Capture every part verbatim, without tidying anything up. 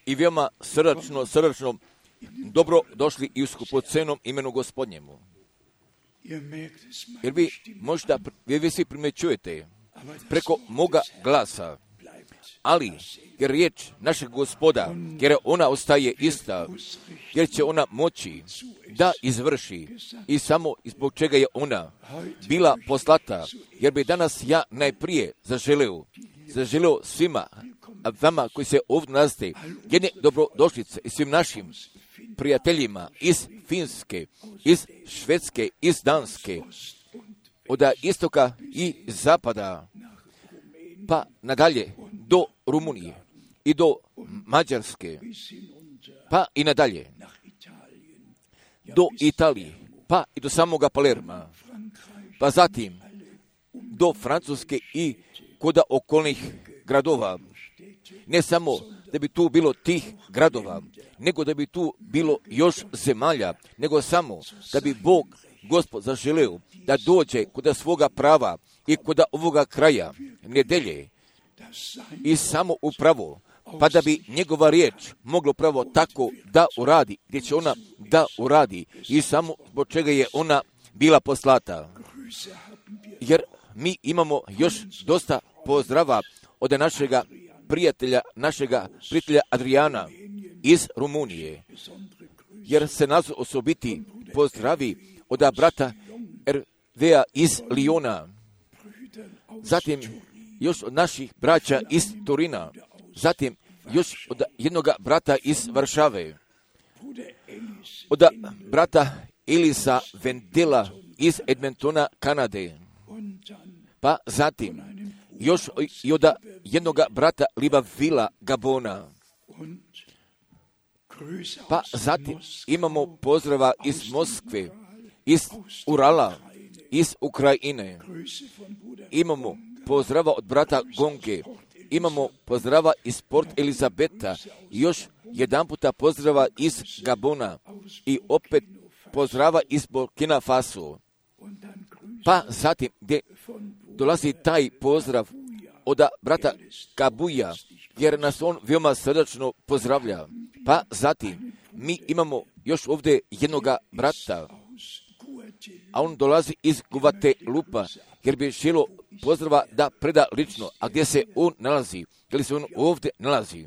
I veoma srdačno, srdačno dobro došli i u skupocenom imenu Gospodnjemu. Jer vi možda, vi, vi svi primjećujete preko moga glasa, ali jer riječ našeg Gospoda, jer ona ostaje ista, jer će ona moći da izvrši i samo zbog čega je ona bila poslata, jer bi danas ja najprije zaželeo, zaželeo svima, a vama koji se ovdje nalazite, jedne dobrodošlice i svim našim prijateljima iz Finske, iz Švedske, iz Danske, od istoka i zapada, pa nadalje do Rumunije i do Mađarske, pa i nadalje do Italije, pa i do samoga Palerma, pa zatim do Francuske i kod okolnih gradova. Ne samo da bi tu bilo tih gradova, nego da bi tu bilo još zemalja, nego samo da bi Bog, Gospod, zaželeo da dođe kod svoga prava i kod ovoga kraja nedelje i samo upravo, pa da bi njegova riječ mogla pravo tako da uradi, gdje će ona da uradi i samo zbog čega je ona bila poslata. Jer mi imamo još dosta pozdrava od našega prijatelja, našega prijatelja Adriana iz Rumunije, jer se nas osobiti pozdravi od brata Ervea iz Liona, zatim još od naših braća iz Turina, zatim još od jednog brata iz Varšave, od brata Elisa Vendela iz Edmontona, Kanade, pa zatim još i od jednog brata Libavila, Gabona, pa zatim imamo pozdrava iz Moskve, iz Urala, iz Ukrajine, imamo pozdrava od brata Gonge, imamo pozdrava iz Port Elizabeta, još jedan puta pozdrava iz Gabona i opet pozdrava iz Burkina Faso. Pa zatim gdje dolazi taj pozdrav od brata Kabuja, jer nas on veoma srdačno pozdravlja. Pa zatim mi imamo još ovdje jednoga brata, a on dolazi iz Guatelupa, jer bi želo pozdrava da preda lično. A gdje se on nalazi? Je li se on ovdje nalazi?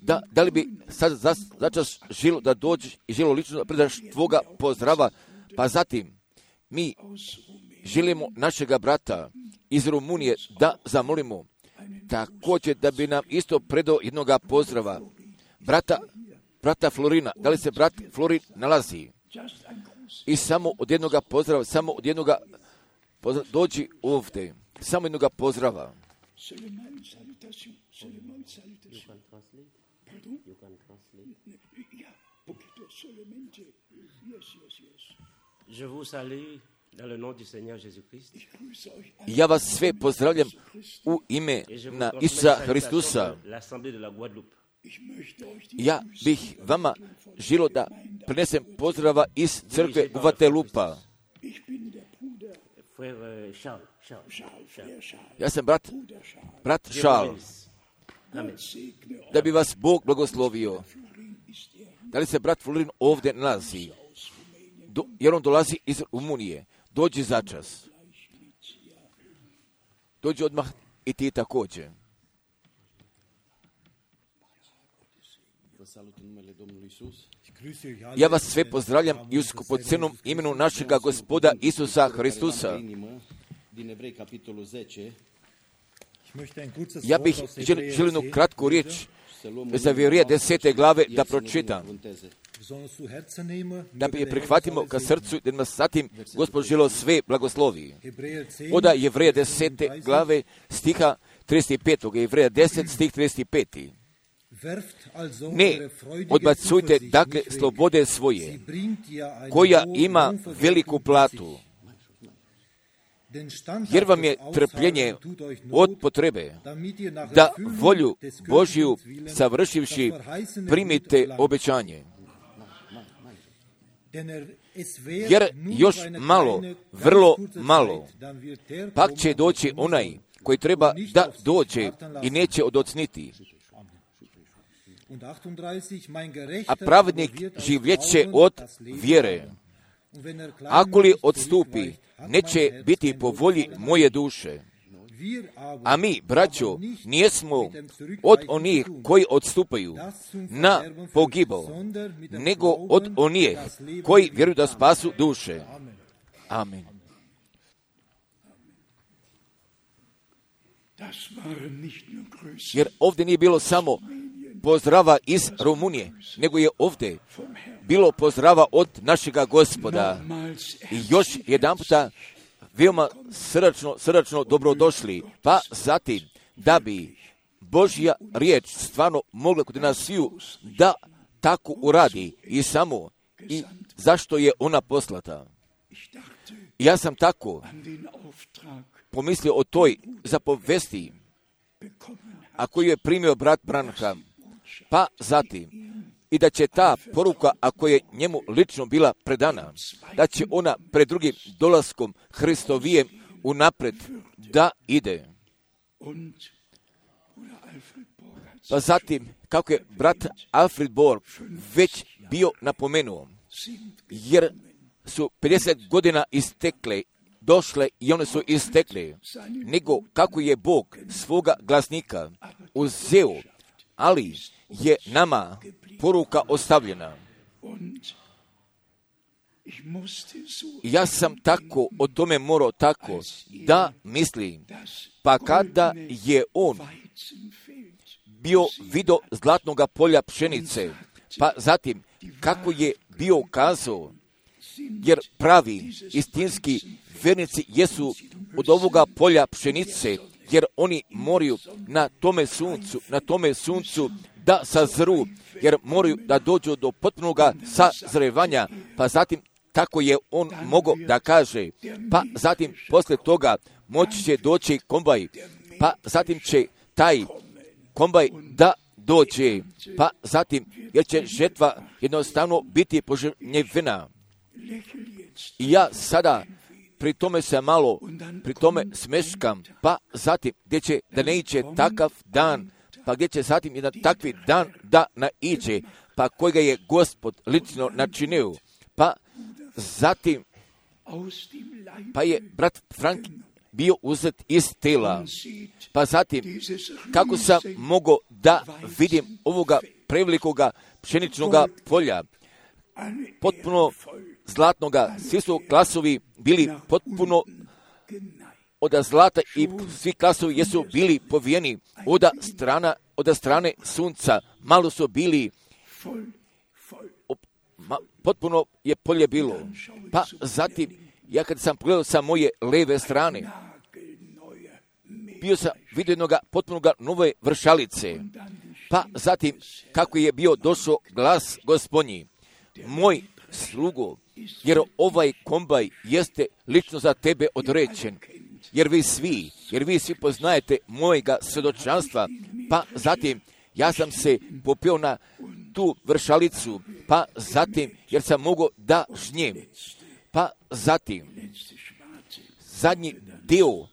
Da, da li bi sad za, začas želo da dođeš i želo lično da predaš tvoga pozdrava? Pa zatim mi želimo našega brata iz Rumunije da zamolimo također da bi nam isto predao jednoga pozdrava. Brata, brata Florina, da li se brat Florin nalazi? I samo od jednoga pozdrava, samo od jednoga pozdrava, dođi ovdje, samo jednoga pozdrava. Je vous salue dans le nom du Seigneur Jésus-Christ. Ja vas sve pozdravljam u ime na Isusa Hristusa. Ja bih vama želio da prenesem pozdrava iz crkve Guatelupa. Ja sam brat, brat Šal. Da bi vas Bog blagoslovio. Da li se brat Florin ovdje nalazi? Do, jer on dolazi iz Rumunije. Dođi začas. Dođi odmah i ti također. Ja vas sve pozdravljam i u skupocenom imenu našega Gospoda Isusa Hristusa. Ja bih želio jednu kratku riječ za Jevrija desete glave da pročitam, da bi je prihvatimo ka srcu, da nas zatim Gospod želio sve blagoslovi. Od Jevrija desete glave stiha trideset pet. Jevrija deset stih trideset pet. Ne odbacujte dakle slobode svoje, koja ima veliku platu, jer vam je trpljenje od potrebe, da volju Božju savršivši primite obećanje. Jer još malo, vrlo malo, pak će doći onaj koji treba da dođe i neće odocniti. A pravednik življeće od vjere. Ako li odstupi, neće biti po volji moje duše. A mi, braćo, nijesmo od onih koji odstupaju na pogibao, nego od onih koji vjeruju da spasu duše. Amen. Jer ovdje nije bilo samo pozdrava iz Rumunije, nego je ovdje bilo pozdrava od našega Gospoda. I još jedan puta veoma srdačno, srdačno dobrodošli. Pa zatim, da bi Božja riječ stvarno mogla kod nas sviju da tako uradi i samo i zašto je ona poslata. Ja sam tako pomislio o toj zapovesti, a koju je primio brat Branham, pa zatim i da će ta poruka, ako je njemu lično bila predana, da će ona pred drugim dolaskom Hristovijem unapred da ide. Pa zatim, kako je brat Alfred Borg već bio napomenuo, jer su pedeset godina istekle, došle i one su istekle, nego kako je Bog svoga glasnika uzeo, ali je nama poruka ostavljena. Ja sam tako o tome morao tako da mislim, pa kada je on bio vidio zlatnoga polja pšenice, pa zatim kako je bio kazao, jer pravi istinski vernici jesu od ovoga polja pšenice, jer oni moraju na tome suncu, na tome suncu da sazru, jer moraju da dođu do potpunoga sazrevanja, pa zatim tako je on mogao da kaže, pa zatim posle toga moći će doći kombaj, pa zatim će taj kombaj da dođe, pa zatim jer će žetva jednostavno biti požnjevena. I ja sada pri tome se malo, pri tome smeškam, pa zatim gdje će da ne iće takav dan, pa gdje će zatim jedan takvi dan da naiđe, pa kojega je Gospod lično načinio, pa zatim, pa je brat Frank bio uzet iz tela, pa zatim, kako sam mogao da vidim ovoga prevelikoga pšeničnoga polja, potpuno zlatnoga, svi su klasovi bili potpuno od zlata i svi klasovi jesu bili povijeni od strana, od strane sunca, malo su bili, ma, potpuno je polje bilo. Pa zatim, ja kad sam pogledao sa moje leve strane, bio sam vidio jednoga potpunoga nove vršalice, pa zatim kako je bio došao glas Gospodnji, moj slugo, jer ovaj kombaj jeste lično za tebe određen, jer vi svi, jer vi svi poznajete mojega svjedočanstva, pa zatim ja sam se popio na tu vršalicu, pa zatim, jer sam mogao da žnjem, pa zatim, zadnji dio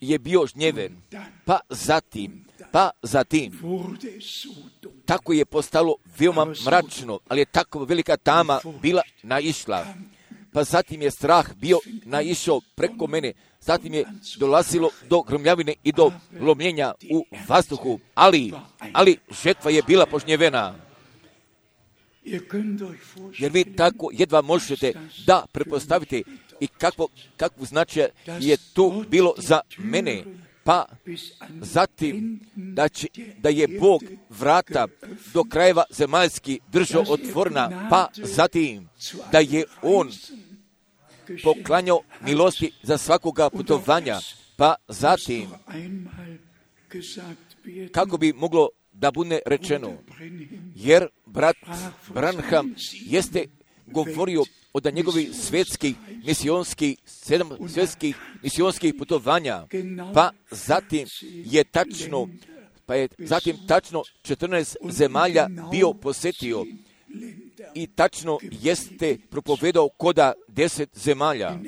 je bio žnjeven, pa zatim, pa zatim, tako je postalo veoma mračno, ali je tako velika tama bila naišla. Pa zatim je strah bio naišao preko mene, zatim je dolazilo do grmljavine i do lomljenja u vazduhu, ali, ali žetva je bila požnjevena. Jer vi tako jedva možete da prepostavite i kakvo, kakvu značaj je to bilo za mene. Pa zatim da, će, da je Bog vrata do krajeva zemaljski držao otvorena, pa zatim da je On poklanjao milosti za svakoga putovanja, pa zatim kako bi moglo da bude rečeno, jer brat Branham jeste govorio od njegovih svjetskih misionskih, sedam svjetskih misionskih putovanja, pa zatim je tačno, pa je zatim tačno četrnaest zemalja bio posjetio i tačno jeste propovedao koda deset zemalja,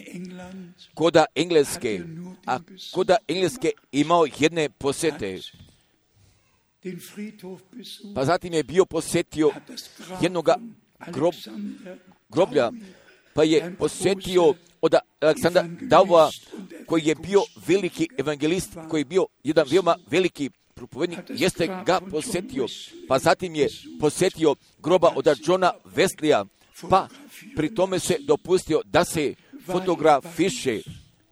koda Engleske, a koda Engleske imao jedne posjete. Pa zatim je bio posjetio jednog grob, groblja, pa je posjetio od Aleksandra Davova, koji je bio veliki evangelist, koji je bio jedan veoma veliki propovednik, jeste ga posjetio. Pa zatim je posjetio groba od Johna Wesleya, pa pri tome se dopustio da se fotografiše.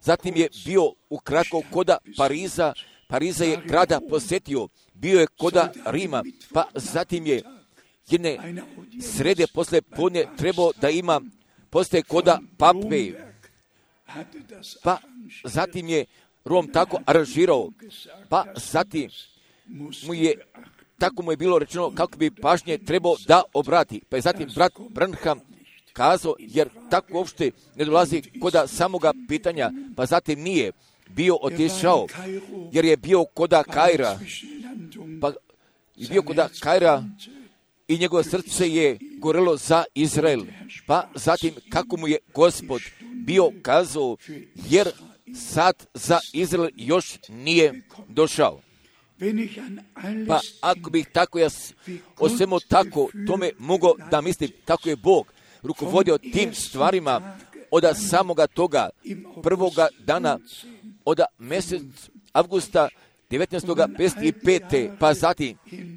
Zatim je bio ukratko koda Pariza, Pariza je grada posjetio, bio je koda Rima, pa zatim je jedne srede posle podne trebao da ima postaje koda Pape, pa zatim je Rom tako aranžirao, pa zatim mu je, tako mu je bilo rečeno kako bi pažnje trebao da obrati, pa je zatim brat Branham kazao, jer tako uopšte ne dolazi koda samoga pitanja, pa zatim nije bio otišao, jer je bio koda Kaira, pa je bio koda Kaira i njegovo srce je gorelo za Izrael, pa zatim kako mu je Gospod bio kazao, jer sad za Izrael još nije došao. Pa ako bih tako ja o svemu tako tome mogao da mislim, tako je Bog rukovodio tim stvarima od samoga toga prvoga dana, od mjesec avgusta devetnaeststo pedeset pete. pa zatim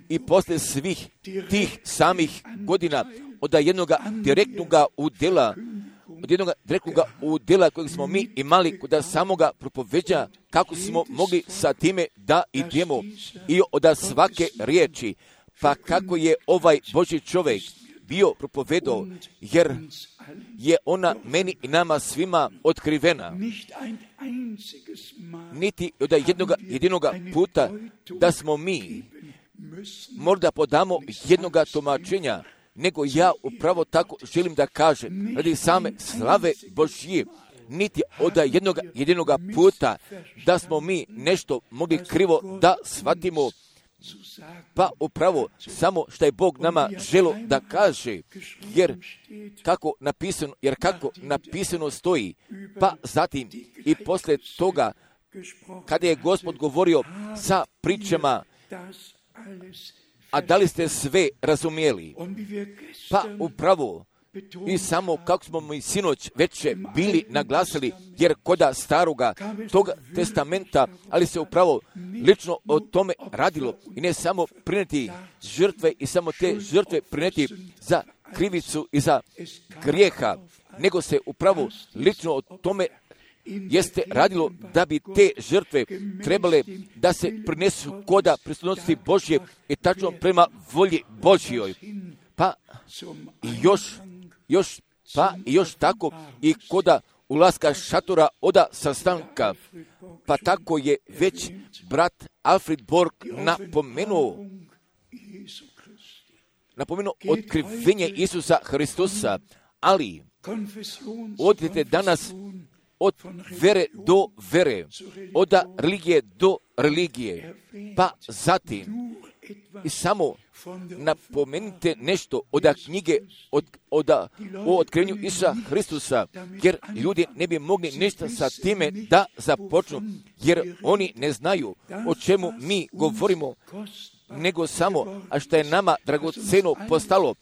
i posle svih tih samih godina od jednog direktnog udjela, od jednog direktnog udjela kojeg smo mi imali kod samoga propoveđa, kako smo mogli sa time da idemo i od svake riječi, pa kako je ovaj Božji čovjek bio propovedao, jer je ona meni i nama svima otkrivena. Niti od jednog jedinog puta da smo mi možda podamo jednog tumačenja, nego ja upravo tako želim da kažem, radi same slave Božje, niti od jednog jedinog puta da smo mi nešto mogli krivo da shvatimo, pa upravo samo što je Bog nama želo da kaže, jer kako napisano, jer kako napisano stoji, pa zatim i posle toga, kada je Gospod govorio sa pričama, a da li ste sve razumijeli? Pa upravo, i samo kako smo mi sinoć veće bili naglasili, jer koda staroga tog testamenta, ali se upravo lično o tome radilo, i ne samo prineti žrtve i samo te žrtve prineti za krivicu i za grijeha, nego se upravo lično o tome jeste radilo da bi te žrtve trebale da se prinesu koda prisutnosti Božje i tačno prema volji Božjoj. Pa i još, još, pa i još tako i koda ulaska šatora oda sastanka. Pa tako je već brat Alfred Borg napomenuo, napomenuo otkrivenje Isusa Hristusa, ali odite danas od vere do vere, od religije do religije, pa zatim i samo napomenite nešto od knjige od, od, o otkrivenju Isusa Hristusa, jer ljudi ne bi mogli ništa sa time da započnu, jer oni ne znaju o čemu mi govorimo, nego samo, a što je nama dragoceno postalo,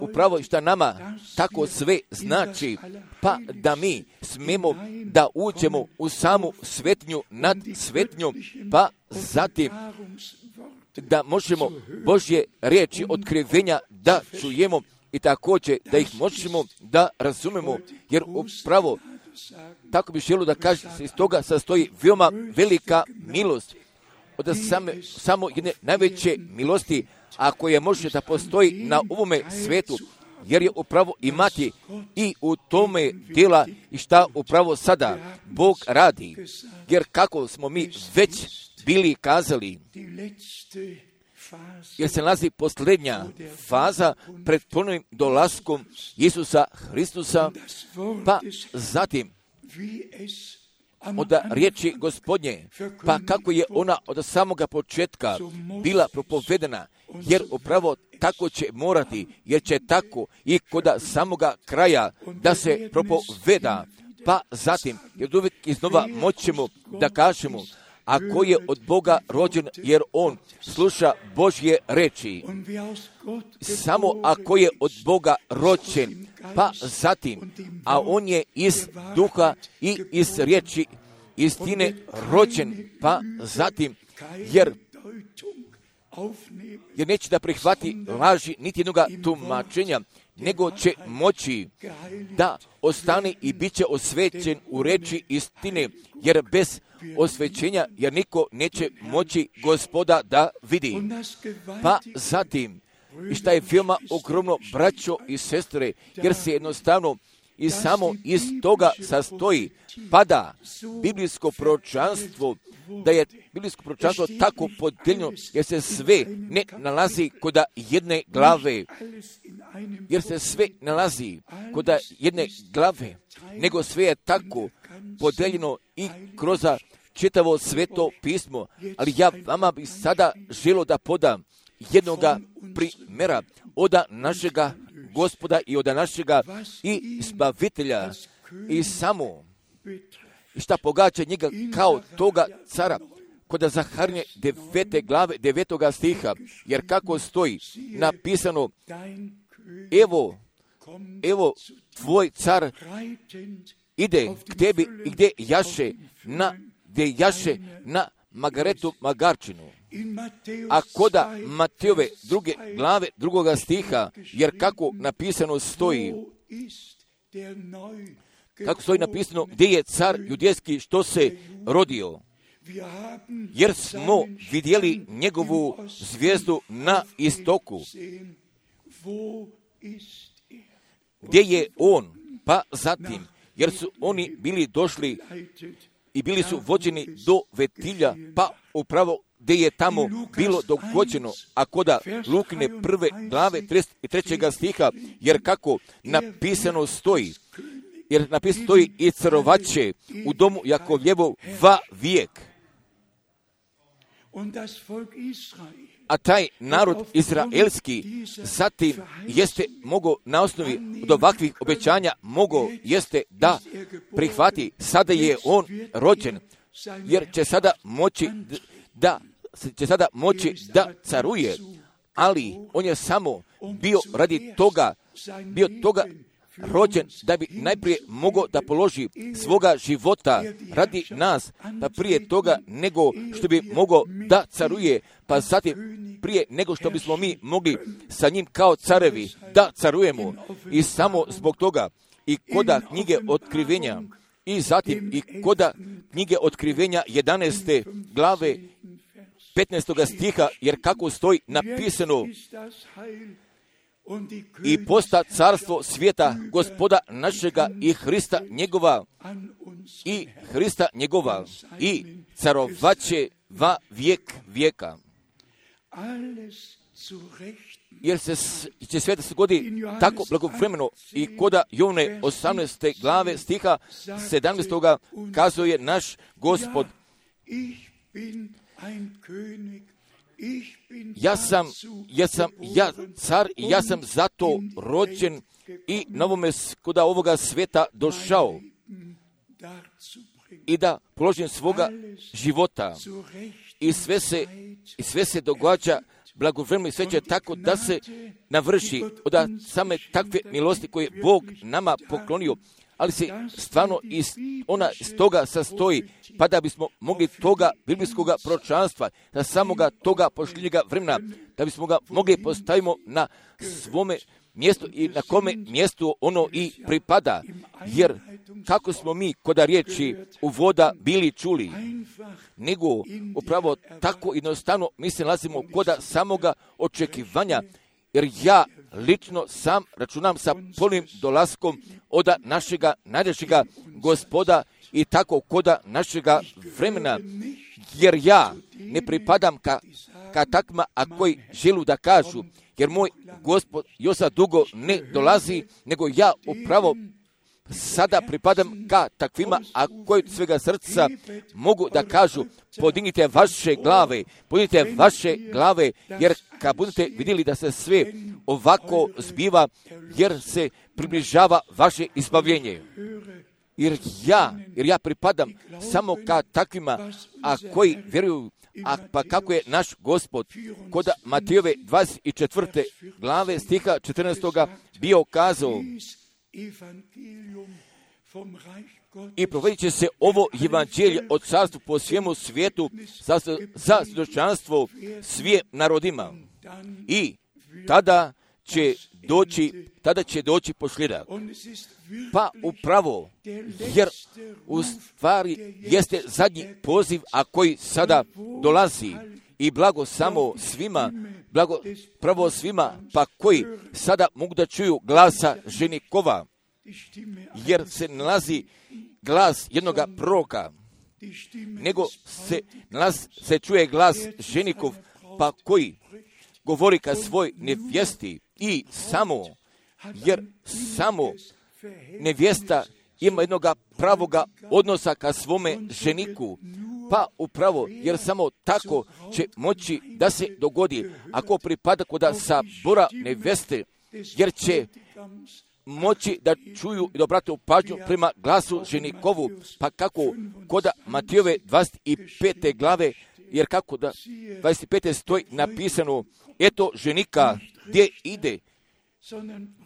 upravo što nama tako sve znači, pa da mi smemo da uđemo u samu svetnju nad svetnjom, pa zatim da možemo Božje riječi otkrivenja da čujemo i također da ih možemo da razumemo, jer upravo tako bi želio da kaže, iz toga sastoji veoma velika milost, od same, samo jedne najveće milosti, a koja može da postoji na ovome svetu, jer je upravo imati i u tome djela i šta upravo sada Bog radi, jer kako smo mi već bili kazali, jer se nalazi posljednja faza pred ponovnim dolaskom Isusa Hristusa, pa zatim od riječi Gospodnje, pa kako je ona od samoga početka bila propovedena, jer upravo tako će morati, jer će tako i kod samoga kraja da se propoveda, Pa zatim, jer uvijek iznova moćemo da kažemo, ako je od Boga rođen, jer on sluša Božje reči. Samo ako je od Boga rođen, pa zatim, a on je iz duha i iz riječi istine rođen, pa zatim, jer jer neće da prihvati laži niti jednoga tumačenja, nego će moći da ostane i bit će osvećen u reči istine, jer bez osvećenja, jer niko neće moći Gospoda da vidi. Pa zatim, i šta je veoma ogromno, braćo i sestre, jer se jednostavno i samo iz toga sastoji, pada biblijsko proročanstvo, da je biblijsko proročanstvo tako podijeljeno, jer se sve ne nalazi kod jedne glave, jer se sve nalazi kod jedne glave, nego sve je tako podijeljeno i kroz čitavo sveto pismo. Ali ja vama bih sada želio da podam jednoga primjera od našega Gospoda i od našega i Zbavitelja i samo i šta pogađa njega kao toga cara kod Zaharnje devete glave devetoga stiha, jer kako stoji napisano, evo, evo tvoj car ide k tebi i gdje jaše na, gdje jaše na Magaretu Magarčinu. A koda Matejove druge glave drugoga stiha, jer kako napisano stoji, kako stoji napisano, gdje je car judejski što se rodio, jer smo vidjeli njegovu zvijezdu na istoku. Gdje je on? Pa zatim, jer su oni bili došli i bili su vođeni do Vetilja, pa upravo gdje je tamo bilo dogođeno, a koda Lukine prve glave trideset trećega stiha, jer kako napisano stoji, jer napisano stoji i carovaće u domu Jakovljevov va vijek. A taj narod izraelski zatim jeste mogao na osnovi od ovakvih obećanja mogao jeste da prihvati, sada je on rođen, jer će sada moći da će sada moći da caruje, ali on je samo bio radi toga, bio toga rođen da bi najprije mogao da položi svoga života radi nas, pa prije toga nego što bi mogao da caruje, pa zatim prije nego što bismo mi mogli sa njim kao carevi da carujemo. I samo zbog toga i koda knjige Otkrivenja i zatim i koda knjige Otkrivenja jedanaeste glave petnaestoga stiha, jer kako stoji napisano, i posta carstvo svijeta Gospoda našega i Hrista njegova i Hrista njegova i carovaće va vijek vijeka. Jer se će sve da se godi tako blagovremeno i koda Jovne osamnaeste glave stiha sedamnaestoga kazuje naš Gospod, Ja sam, ja sam, ja car i ja sam zato rođen i na ovome koda ovoga sveta došao i da položim svoga života i sve se, i sve se događa blagovremeno i sve će tako da se navrši od same takve milosti koje Bog nama poklonio, ali se stvarno iz, ona iz toga sastoji, pa da bismo mogli toga biblijskog proročanstva, da samoga toga pošljenjega vremena, da bismo ga mogli postavimo na svome mjestu i na kome mjestu ono i pripada. Jer kako smo mi koda riječi u voda bili čuli, nego upravo tako jednostavno mi se nalazimo koda samoga očekivanja, jer ja lično sam računam sa polnim dolaskom od našega najdražega Gospoda i tako koda našega vremena, jer ja ne pripadam ka, ka takma, a koji želu da kažu, jer moj Gospod još dugo ne dolazi, nego ja upravo sada pripadam ka takvima, a koji od svega srca mogu da kažu, podignite vaše glave, podignite vaše glave, jer kad budete vidjeli da se sve ovako zbiva, jer se približava vaše izbavljenje. jer ja, jer ja pripadam samo ka takvima, a koji vjeruju, a pa kako je naš Gospod kod Matejove dvadeset četvrte glave stiha četrnaestoga bio kazao: i provodit će se ovo evanđelje od carstva po svijemu svijetu za, za svjedočanstvo svim narodima. I tada će doći, tada će doći posljedak. Pa upravo, jer u stvari jeste zadnji poziv, a koji sada dolazi, i blago samo svima, blago pravo svima, pa koji sada mogu da čuju glasa ženikova, jer se nalazi glas jednoga proroka, nego se, nalaz, se čuje glas ženikov, pa koji govori ka svoj nevjesti, i samo, jer samo nevjesta ima jednoga pravoga odnosa ka svome ženiku, pa upravo, jer samo tako će moći da se dogodi, ako pripada koda sabora nevjeste, jer će moći da čuju i da obrate pažnju prema glasu ženikovu, pa kako koda Matejove dvadeset pete glave, jer kako da dvadeset pete stoji napisano: eto ženika gdje ide,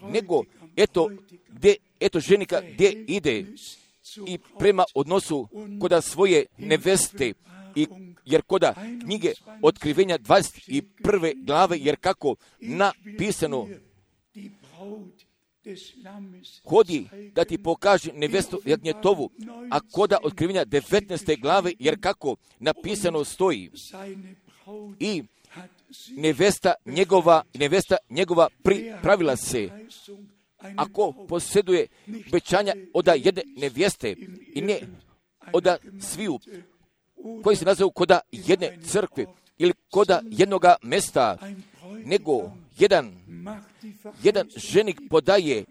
nego eto, gdje, eto ženika gdje ide, i prema odnosu koda svoje neveste, i jer koda knjige Otkrivenja dvadeset prve glave, jer kako napisano: hodi da ti pokaže nevestu Jagnjetovu, a koda Otkrivenja devetnaeste glave, jer kako napisano stoji: i nevesta njegova, nevesta njegova pripravila se. Ako posjeduje obećanja od jedne nevjeste, i ne od sviju koji se nazovu koda jedne crkve ili koda jednoga mesta, nego jedan, jedan ženik podaje,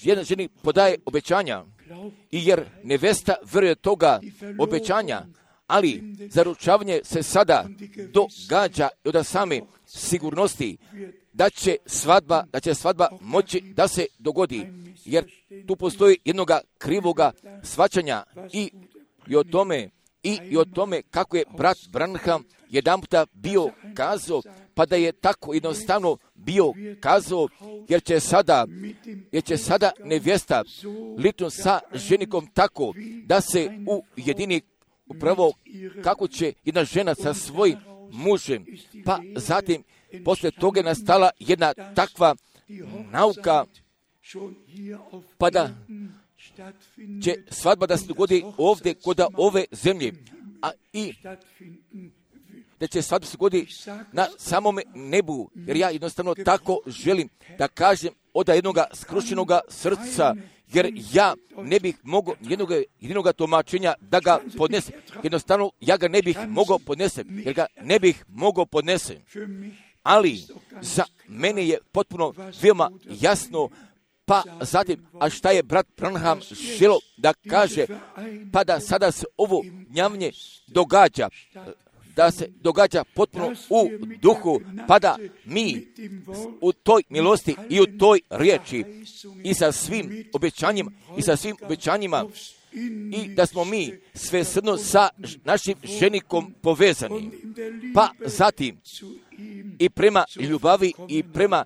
jedan ženik podaje obećanja, i jer nevesta vjeruje toga obećanja, ali zaručavanje se sada događa od same sigurnosti da će svadba, da će svadba moći da se dogodi, jer tu postoji jednoga krivoga shvaćanja i, i o tome i, i o tome kako je brat Branham jedanputa bio kazao, pa da je tako jednostavno bio kazao, jer će sada, jer će sada nevjesta lično sa ženikom tako da se ujedini upravo kako će jedna žena sa svojim mužem, pa zatim poslije toga je nastala jedna takva nauka, pa da će svadba da se dogodi ovdje kod ove zemlje, a i da će svadba se dogodi na samome nebu, jer ja jednostavno tako želim da kažem od jednoga skrušenoga srca, jer ja ne bih mogao jednoga, jednoga tumačenja da ga podnesem. Jednostavno, ja ga ne bih mogao podnesem, jer ga ne bih mogao podnesem. Ali za mene je potpuno veoma jasno, pa zatim, a šta je brat Branham želio da kaže, pa da sada se ovo gnjavnje događa, da se događa potpuno u duhu, pa da mi u toj milosti i u toj riječi i sa svim obećanjima i sa svim obećanjima i da smo mi svesrdno sa našim ženikom povezani, pa zatim i prema ljubavi i prema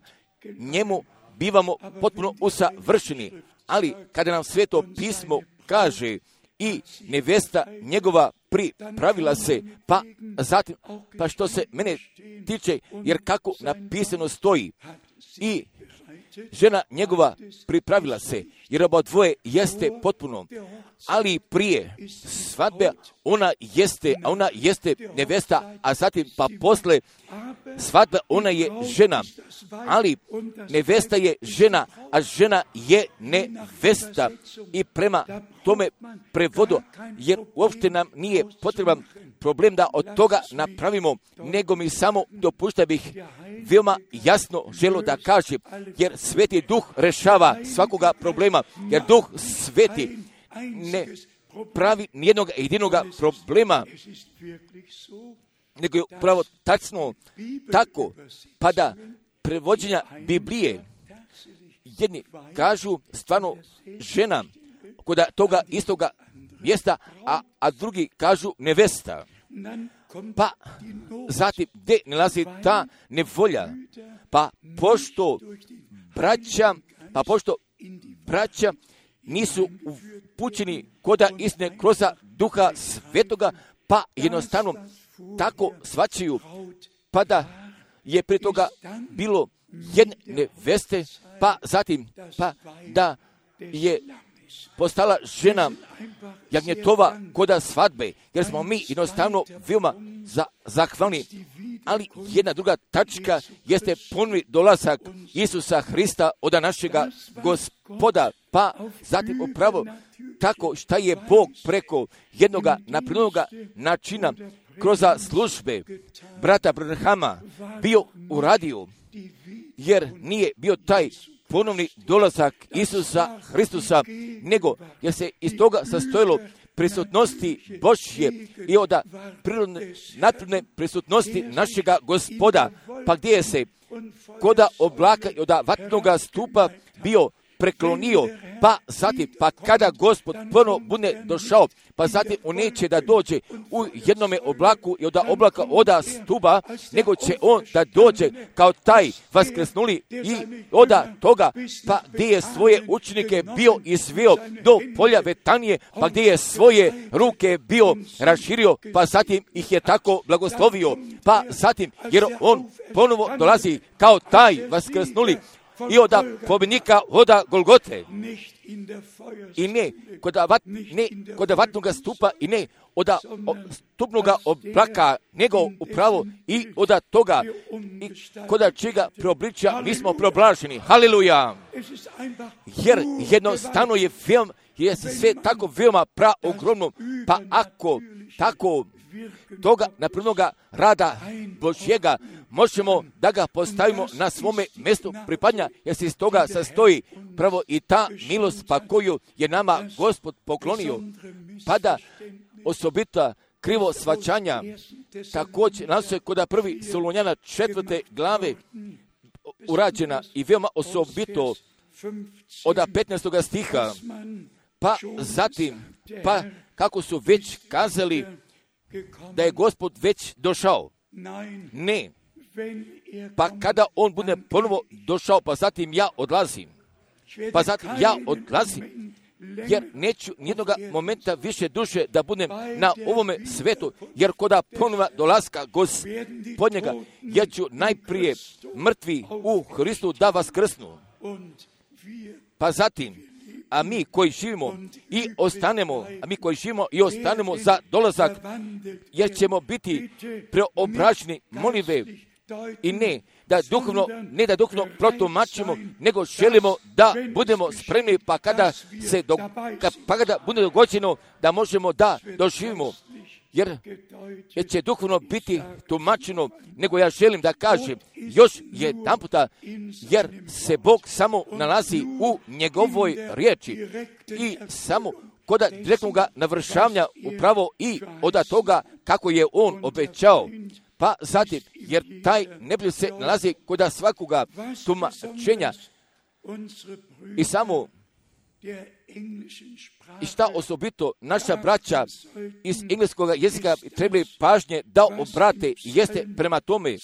njemu bivamo potpuno usavršeni. Ali kada nam Sveto pismo kaže i nevjesta njegova pripravila se, pa zatim, pa što se mene tiče, jer kako napisano stoji, i žena njegova pripravila se, jer oba dvoje jeste potpuno, ali prije svadbe ona jeste, a ona jeste nevesta, a zatim pa posle svadbe ona je žena, ali nevesta je žena, a žena je nevesta, i prema tome prevodu, jer uopšte nam nije potreban problem da od toga napravimo, nego mi samo dopušta bih veoma jasno želo da kažem, jer Sveti Duh rešava svakoga problema, jer Duh Sveti ne pravi nijednog jedinoga problema, nego je upravo tačno tako, pa da prevođenja Biblije, jedni kažu stvarno žena kod toga istoga mjesta, a, a drugi kažu nevesta. Pa zatim gdje nalazi ta nevolja? Pa pošto braća, pa pošto braća nisu upućeni koda istine kroz Duha Svetoga, pa jednostavno tako svačaju, pa da je prije toga bilo jedne neveste, pa zatim pa da je postala žena jagnjetova koda svadbe, jer smo mi jednostavno veoma za, zahvalni. Ali jedna druga tačka jeste ponovni dolazak Isusa Hrista od našega Gospoda, pa zatim upravo tako šta je Bog preko jednoga naprednoga načina kroz službe brata Branhama bio uradio, jer nije bio taj ponovni dolazak Isusa Hristusa, nego jer se iz toga sastojilo prisutnosti Božje i od prirodne, naturne prisutnosti našega Gospoda, pa gdje je se koda oblaka i od vatnoga stupa bio preklonio, pa zatim, pa kada Gospod ponovo bude došao, pa zatim on neće da dođe u jednome oblaku i od oblaka oda stupa, nego će on da dođe kao taj vaskrsnuli i od toga, pa gdje je svoje učenike bio izveo do polja Betanije, pa gdje je svoje ruke bio raširio, pa zatim ih je tako blagoslovio, pa zatim, jer on ponovo dolazi kao taj vaskrsnuli i od pobjednika oda Golgote, i ne kod, vat, ne kod vatnoga stupa, i ne od stupnoga oblaka, nego upravo i od toga, i kod čega preobličja mi smo preoblaženi. Haleluja! Jer jednostavno je film, je sve tako veoma praogromno, pa ako tako toga naprednoga rada Božjega možemo da ga postavimo na svome mjestu pripadnja, jer se iz toga sastoji pravo i ta milost pa koju je nama Gospod poklonio, pa da osobita krivo svačanja također nas je kod prvi Solunjana četvrte glave urađena i veoma osobito od petnaestoga stiha, pa zatim, pa kako su već kazali da je Gospod već došao. Ne. Pa kada on bude ponovo došao, pa zatim ja odlazim. Pa zatim ja odlazim, jer neću nijednoga momenta više duše da budem na ovome svetu, jer koda ponova dolaska Gospodnjega, ja ću najprije mrtvi u Hristu da vaskrsnu. Pa zatim, a mi koji živimo i ostanemo, a mi koji živimo i ostanemo za dolazak, jer ćemo biti preobraženi molive i ne da duhovno, ne da duhovno protumačimo, nego želimo da budemo spremni, pa kada se do, pa kada bude dogođeno da možemo da doživimo, jer, jer će duhovno biti tumačeno, nego ja želim da kažem još jedan puta, jer se Bog samo nalazi u njegovoj riječi i samo kod direktnog navršavanja upravo i od toga kako je on obećao. Pa zatim, jer taj nebljud se nalazi kod svakoga tumačenja i samo i šta osobito naša braća iz engleskog jezika trebali pažnje da obrate jeste prema tome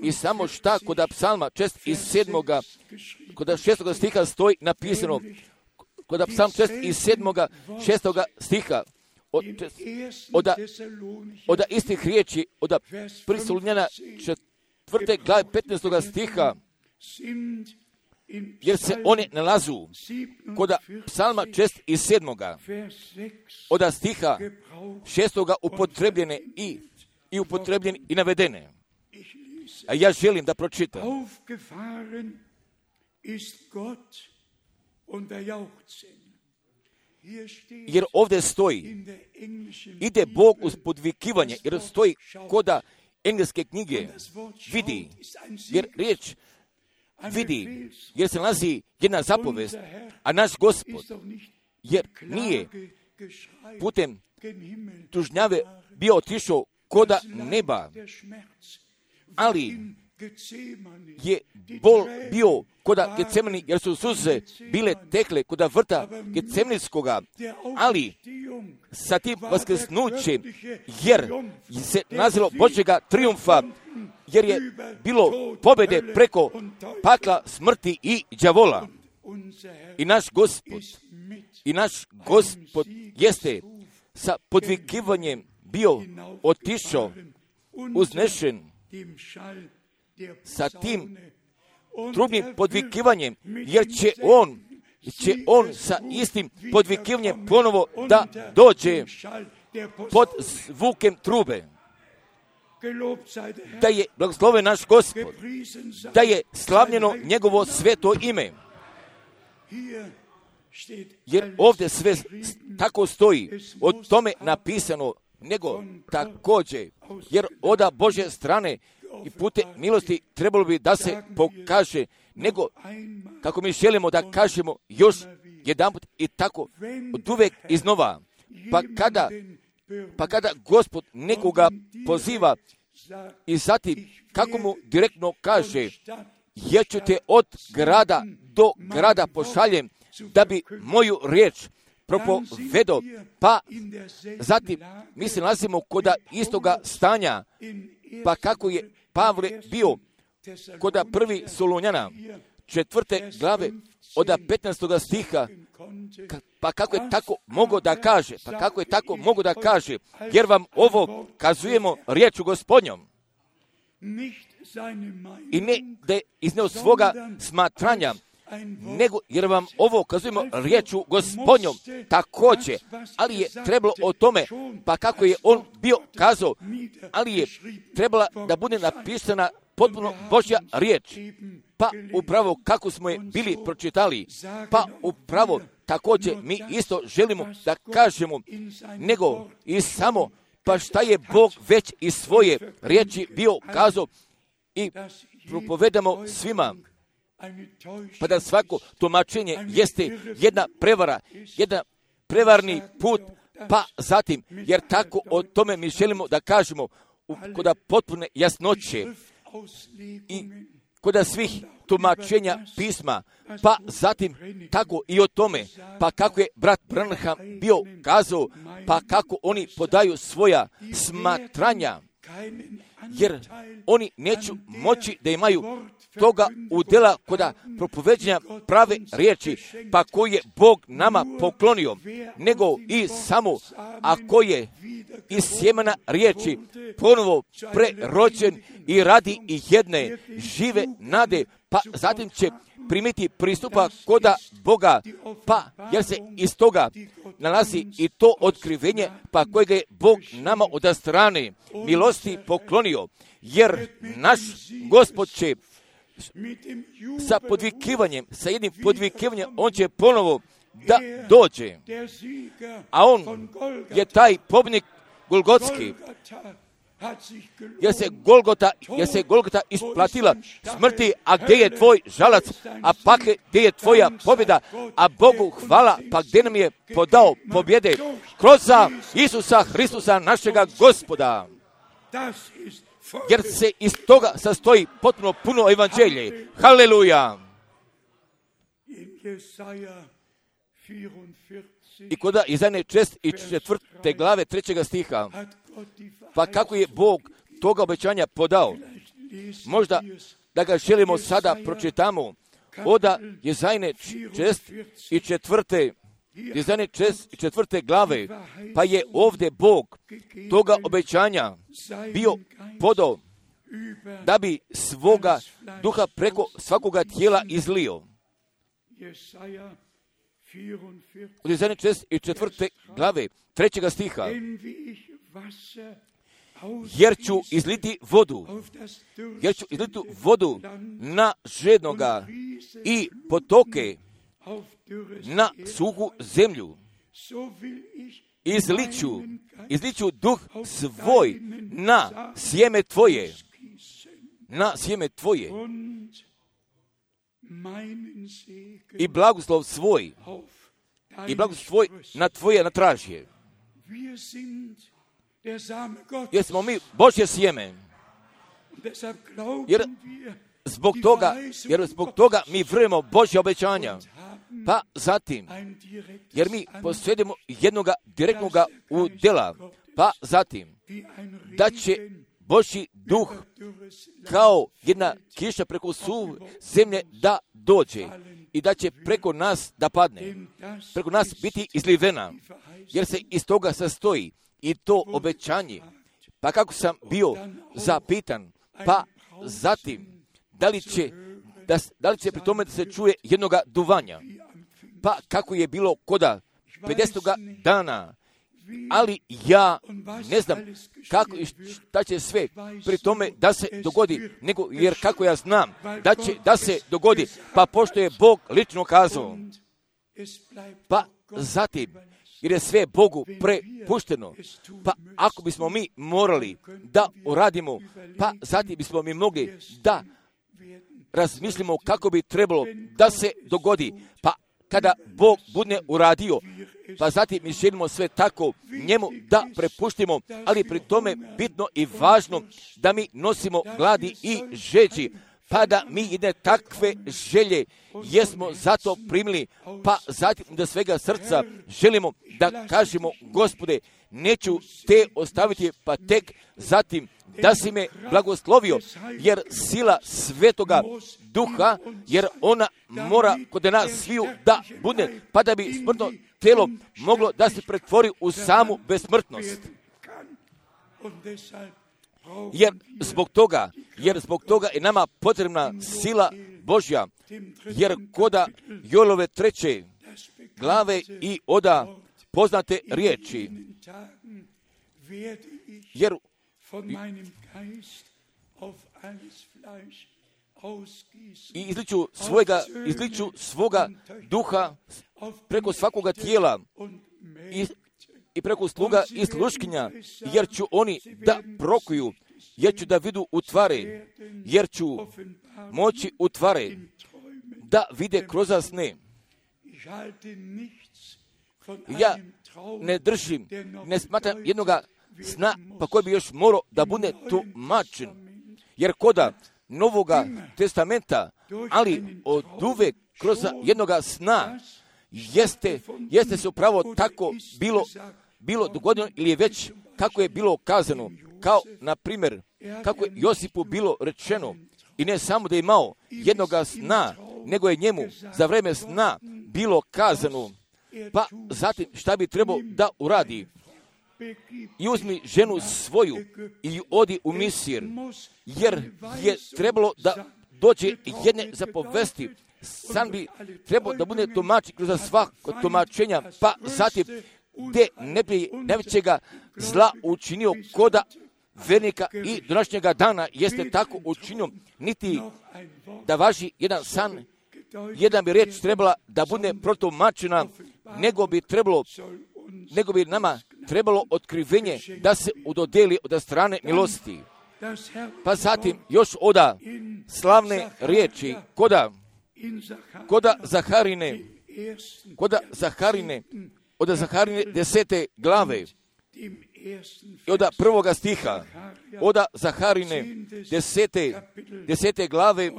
i samo šta kod psalma šest iz sedmoga, kod šestoga stiha stoji napisano, kod psalm šest iz sedmoga, šestoga stiha, od, od, od istih riječi, od prisolunjena četvrte glave petnaestoga stiha, jer se one nalazu kod psalma šest iz sedmoga, od stiha šestoga upotrebljene i, i upotrebljene i navedene. A ja želim da pročitam. Jer ovdje stoji, ide Bog uz podvikivanje, jer stoji koda engleske knjige, vidi, jer riječ vidi, jer se nalazi jedna zapovest, a naš Gospod, jer nije putem tužnjave bio otišao koda neba, ali je bol bio koda Getsemani, jer su suze bile tekle koda vrta Getsemanskoga, ali sa tim vaskrsnućem, jer se nazilo Božjega trijumfa, jer je bilo pobjede preko pakla, smrti i đavola. I naš Gospod, i naš Gospod jeste sa podvikivanjem bio otišao, uznešen, sa tim trubnim podvikivanjem, jer će on, će on sa istim podvikivanjem ponovo da dođe pod zvukem trube. Da je blagosloven naš Gospod, da je slavljeno njegovo sveto ime. Jer ovdje sve tako stoji, o tome napisano, nego također, jer oda Božje strane i pute milosti trebalo bi da se pokaže, nego kako mi želimo da kažemo još jedanput i tako od uvek iznova. Pa kada, pa kada Gospod nekoga poziva i zatim kako mu direktno kaže, jer ću te od grada do grada pošaljem da bi moju riječ propovedo, pa zatim mi se nalazimo koda istoga stanja, pa kako je Pavle bio koda prvi Solunjana, četvrte glave, od petnaestoga stiha, pa kako je tako mogo da kaže, pa kako je tako mogo da kaže, jer vam ovo kazujemo riječu Gospodnjom. I ne da je izneo svoga smatranja, nego jer vam ovo kazujemo riječu Gospodnjom također, ali je trebalo o tome, pa kako je on bio kazao, ali je trebala da bude napisana potpuno Božja riječ, pa upravo kako smo je bili pročitali, pa upravo također mi isto želimo da kažemo, nego i samo, pa šta je Bog već iz svoje riječi bio kazao i propovedamo svima, pa da svako tumačenje jeste jedna prevara, jedan prevarni put, pa zatim, jer tako o tome mi želimo da kažemo, koda potpune jasnoće i koda svih tumačenja pisma, pa zatim tako i o tome, pa kako je brat Branham bio kazao, pa kako oni podaju svoja smatranja, jer oni neću moći da imaju toga udjela koda propoveđenja prave riječi, pa koji je Bog nama poklonio, nego i samo ako je iz sjemena riječi ponovo prerođen i radi i jedne žive nade, pa zatim će primiti pristupa koda Boga, pa jer se iz toga nalazi i to otkrivenje, pa kojega je Bog nama od strane milosti poklonio, jer naš Gospod će sa podvikivanjem, sa jednim podvikivanjem, on će ponovo da dođe. A on je taj pobjednik Golgotski, jer se Golgota, jer se Golgota isplatila smrti, a gdje je tvoj žalac, a pak gdje je tvoja pobjeda, a Bogu hvala, pa gdje nam je podao pobjede kroz Isusa Hristusa našega Gospoda. Jer se iz toga sastoji potpuno puno evanđelje. Haleluja! I koda Izaje i četvrte glave trećega stiha, pa kako je Bog toga obećanja podao, možda da ga želimo sada pročitamo, oda Izaje i četvrte Izaje i četvrte glave, pa je ovdje Bog toga obećanja bio podao da bi svoga duha preko svakoga tijela izlio. Od Izaje i četvrte glave, trećega stiha, jer ću izliti vodu, jer ću izliti vodu na žednoga i potoke na suhu zemlju. Izliću, izliću duh svoj na sjeme tvoje, na sjeme tvoje i blagoslov svoj, i blagoslov svoj na tvoje natražje. Jer smo mi Božje sjeme. Jer zbog toga, jer zbog toga mi vjerujemo Božja obećanja. Pa zatim, jer mi posjedimo jednoga direktnoga udjela, pa zatim, da će Božji duh kao jedna kiša preko suve zemlje da dođe i da će preko nas da padne, preko nas biti izlivena, jer se iz toga sastoji i to obećanje. Pa kako sam bio zapitan, pa zatim, da li će, da, da li će pri tome da se čuje jednoga duvanja, pa kako je bilo koda pedesetoga dana, ali ja ne znam kako i šta će sve pri tome da se dogodi, nego jer kako ja znam da će da se dogodi, pa pošto je Bog lično kazao, pa zatim, jer je sve Bogu prepušteno, pa ako bismo mi morali da uradimo, pa zatim bismo mi mogli da razmislimo kako bi trebalo da se dogodi, pa kada Bog bude uradio, pa zatim mi želimo sve tako njemu da prepuštimo, ali pri tome bitno i važno da mi nosimo gladi i žeđi, pa da mi jedne takve želje jesmo zato primili, pa zatim da svega srca želimo da kažemo, Gospode, neću te ostaviti, pa tek zatim da si me blagoslovio, jer sila Svetoga Duha, jer ona mora kod nas sviju da bude, pa da bi smrtno tijelo moglo da se pretvori u samu besmrtnost. Jer zbog toga, jer zbog toga je nama potrebna sila Božja, jer koda Joelove treće glave i oda poznate riječi, jer i izliču svojega, izliču svoga duha preko svakoga tijela i, i preko sluga i sluškinja, jer ću oni da prokuju, jer ću da vidu utvare, jer ću moći utvare da vide kroz sne. Ja ne držim, ne smatram jednoga sna, pa koji bi još morao da bude tumačen, jer koda Novoga testamenta, ali od uvek kroz jednoga sna, jeste, jeste se upravo tako bilo, bilo dogodilo ili je već kako je bilo kazano, kao na primjer kako je Josipu bilo rečeno, i ne samo da je imao jednoga sna, nego je njemu za vreme sna bilo kazano, pa zatim šta bi trebao da uradi. I uzmi ženu svoju i odi u Misir, jer je trebalo da dođe jedne zapovesti. Sam bi trebao da bude tumačen kroz svako tumačenja, pa zatim gdje ne bi najvećega zla učinio koda vernika i današnjega dana jeste tako učinio, niti da važi jedan san, jedan bi riječ trebala da bude protumačena, nego bi trebalo, nego bi nama trebalo otkrivenje da se udodeli od strane milosti. Pa zatim još oda slavne riječi koda, koda Zaharine, koda Zaharine, od Zaharine desete glave, i od prvoga stiha, od Zaharine desete, desete glave,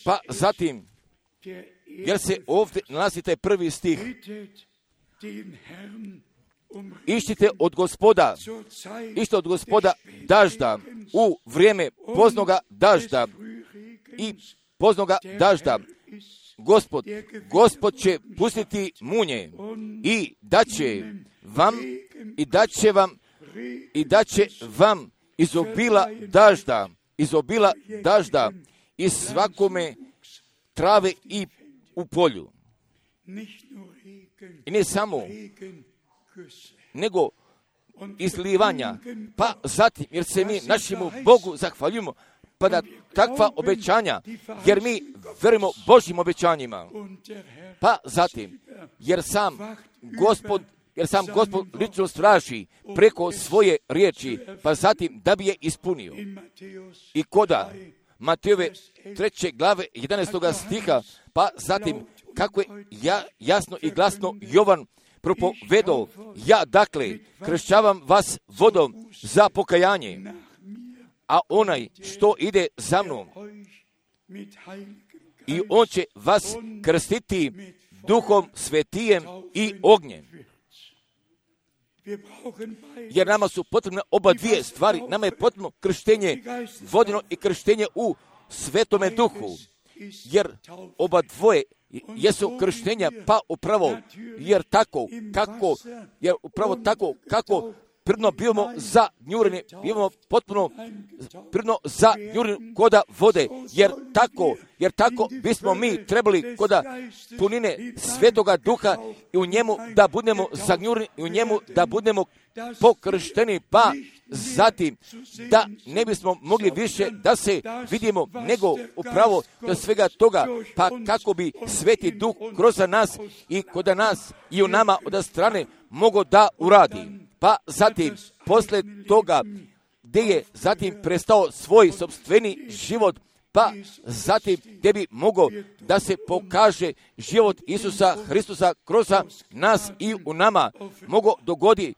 pa zatim, jer se ovdje nalazi taj prvi stih, išćite od Gospoda, išćite od Gospoda dažda, u vrijeme poznoga dažda i poznoga dažda. Gospod, Gospod će pustiti munje i daće vam, i daće vam, i daće vam izobila dažda, izobila dažda i svakome trave i u polju. I ne samo, nego izlivanja, pa zatim, jer se mi našemu Bogu zahvaljujemo, pa da takva obećanja, jer mi verujemo Božjim obećanjima, pa zatim, jer sam Gospod, jer sam Gospod lično straži preko svoje riječi, pa zatim da bi je ispunio. I koda Matejove treće glave jedanaestoga stiha, pa zatim kako je ja, jasno i glasno Jovan propovedao, ja dakle kršćavam vas vodom za pokajanje, a onaj što ide za mnom, i on će vas krstiti Duhom Svetijem i ognjem. Jer nama su potrebne oba dvije stvari. Nama je potrebno krštenje vodeno i krštenje u Svetome Duhu. Jer oba dvoje jesu krštenja, pa upravo, jer tako, kako, jer upravo tako, kako prirodno bivamo za njurene, bivamo potpuno prirodno za njurene koda vode, jer tako, jer tako bismo mi trebali koda punine Svetoga Duha i u njemu da budemo zagnjureni i u njemu da budemo pokršteni, pa zatim da ne bismo mogli više da se vidimo nego upravo do svega toga, pa kako bi Sveti Duh kroz nas i kod nas i u nama od strane mogo da uradi. Pa zatim, posle toga, gdje je zatim prestao svoj sopstveni život, pa zatim gdje bi mogao da se pokaže život Isusa Hristusa kroz nas i u nama, mogo dogodi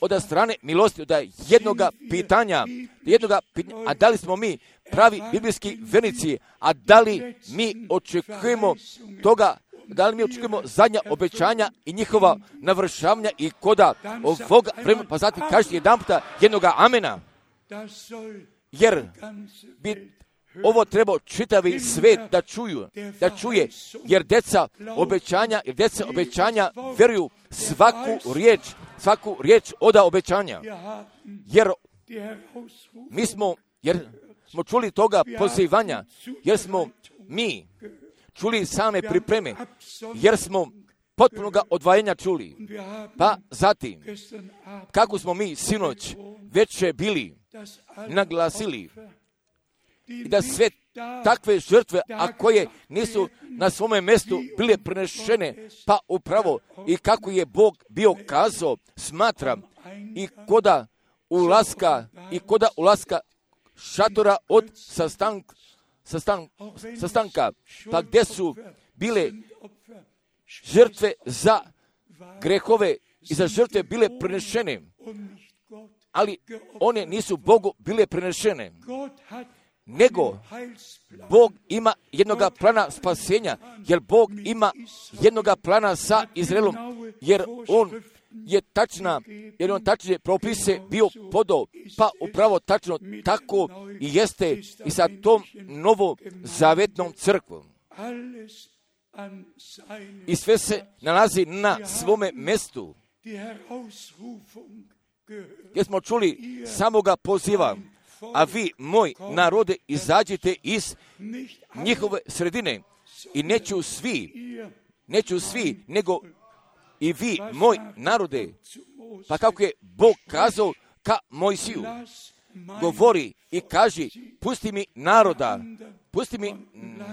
od strane milosti, od jednoga pitanja, jednoga pitanja, a da li smo mi pravi biblijski vernici, a da li mi očekujemo toga, da li mi očekujemo zadnja obećanja i njihova navršavanja i koda ovoga vremena, pa zatim kažete jedan puta jednoga amena, jer bi ovo trebao čitavi svet da čuju, da čuje, jer deca obećanja, jer deca obećanja vjeruju svaku riječ, svaku riječ oda obećanja, jer mi smo, jer smo čuli toga pozivanja, jer smo mi čuli same pripreme, jer smo potpunoga odvajanja čuli. Pa zatim, kako smo mi sinoć već bili naglasili i da sve takve žrtve, a koje nisu na svome mjestu bile prenešene, pa upravo i kako je Bog bio kazao, smatram, i koda ulaska, i koda ulaska šatora od sastanka, Sastan, sastanka, pa gdje su bile žrtve za grehove i za žrtve bile prenešene, ali one nisu Bogu bile prenešene, nego Bog ima jednoga plana spasenja, jer Bog ima jednoga plana sa Izraelom, jer on je tačna, jer on tačne propise bio podao, pa upravo tačno tako i jeste i sa tom novozavetnom crkvom. I sve se nalazi na svome mjestu. Gdje smo čuli samoga poziva, a vi, moj narode, izađite iz njihove sredine i neću svi, neću svi, nego i vi, moj narode, pa kako je Bog kazao ka Mojsiju, govori i kaži, pusti mi naroda, pusti mi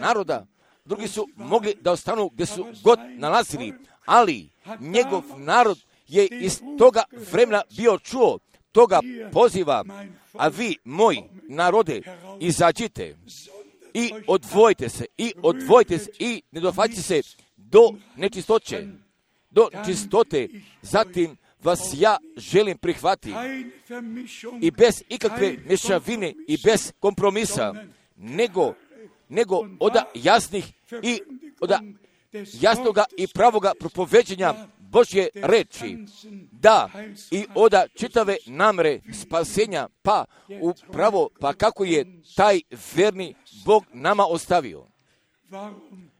naroda. Drugi su mogli da ostanu gdje su god nalazili, ali njegov narod je iz toga vremena bio čuo toga poziva, a vi, moj narode, izađite i odvojite se, i odvojite se, i ne dohvatite se do nečistoće, do čistote, zatim vas ja želim prihvatiti i bez ikakve mješavine i bez kompromisa, nego, nego oda jasnih i oda jasnoga i pravoga propoveđenja Božje reči, da i oda čitave namere spasenja, pa upravo, pa kako je taj verni Bog nama ostavio.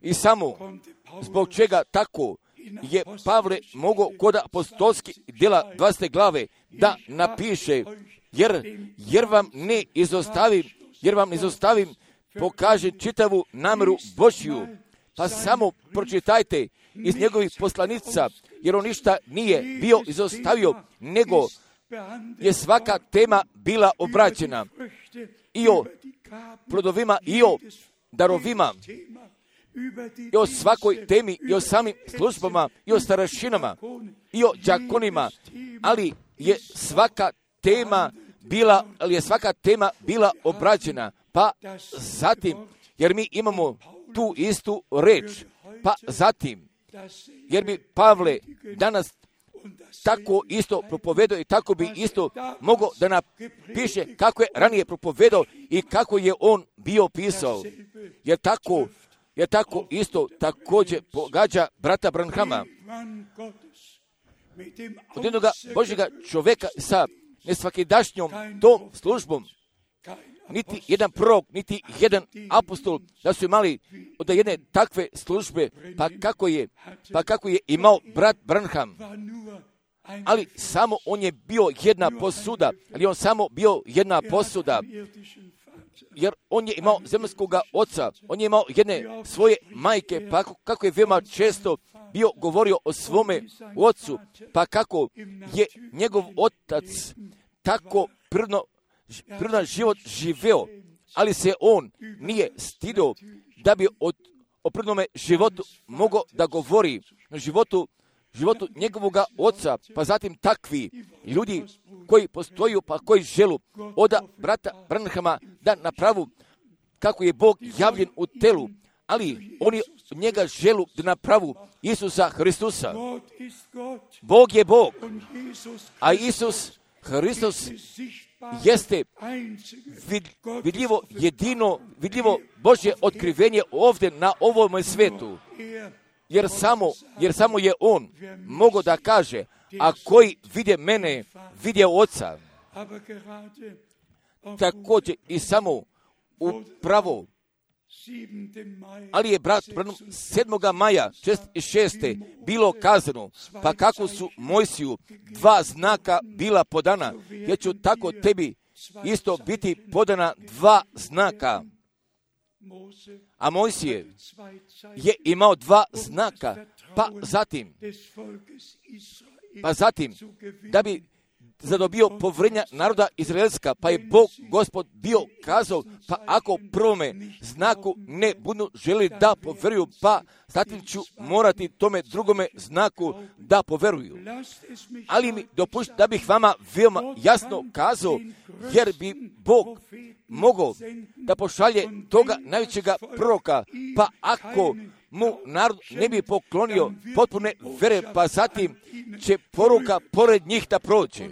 I samo zbog čega tako je Pavle mogao kod apostolskih djela dvadesete glave da napiše, jer, jer vam ne izostavim, jer vam izostavim, pokaže čitavu nameru Božju, pa samo pročitajte iz njegovih poslanica, jer on ništa nije bio izostavio, nego je svaka tema bila obraćena i o plodovima, i o darovima, i o svakoj temi, i o samim službama, i o starešinama, i o đakonima, ali je svaka tema bila, ali je svaka tema bila obrađena, pa zatim, jer mi imamo tu istu reč, pa zatim, jer bi Pavle danas tako isto propovedao i tako bi isto mogao da napiše kako je ranije propovedao i kako je on bio pisao. Jer tako, jer tako isto također pogađa brata Branhama. Od jednoga Božjega čovjeka sa nesvakidašnjom tom službom, niti jedan prorok, niti jedan apostol da su imali od jedne takve službe, pa kako je, pa kako je imao brat Branham. Ali samo on je bio jedna posuda, ali on samo bio jedna posuda, jer on je imao zemaljskoga oca, on je imao jedne svoje majke, pa kako je veoma često bio govorio o svome ocu, pa kako je njegov otac tako prirodno prirodan život živeo, ali se on nije stidio da bi od, o prirodnome životu mogao da govori o životu, životu njegovoga oca, pa zatim takvi ljudi koji postoju, pa koji želu od brata Branhama da napravu kako je Bog javljen u telu, ali oni njega želu da napravu Isusa Hristusa. Bog je Bog, a Isus Hristos jeste vidljivo, jedino, vidljivo Božje otkrivenje ovdje na ovom svijetu. Jer samo, jer samo je on mogao da kaže, a koji vide mene, vide oca. Također i samo upravo, ali je brat sedmoga maja šezdeset šeste bilo kazano, pa kako su Mojsiju dva znaka bila podana, jer ću tako tebi isto biti podana dva znaka. A Mojsije je imao dva znaka, pa zatim, pa zatim, da bi zadobio povjerenja naroda Izraelska, pa je Bog Gospod bio kazao, pa ako prvome znaku ne budu želi da povjeruju, pa zatim ću morati tome drugome znaku da povjeruju. Ali mi dopušti da bih vama veoma jasno kazao, jer bi Bog mogao da pošalje toga najvećega proroka, pa ako mu narod ne bi poklonio potpune vere, pa zatim će poruka pored njih da prođe.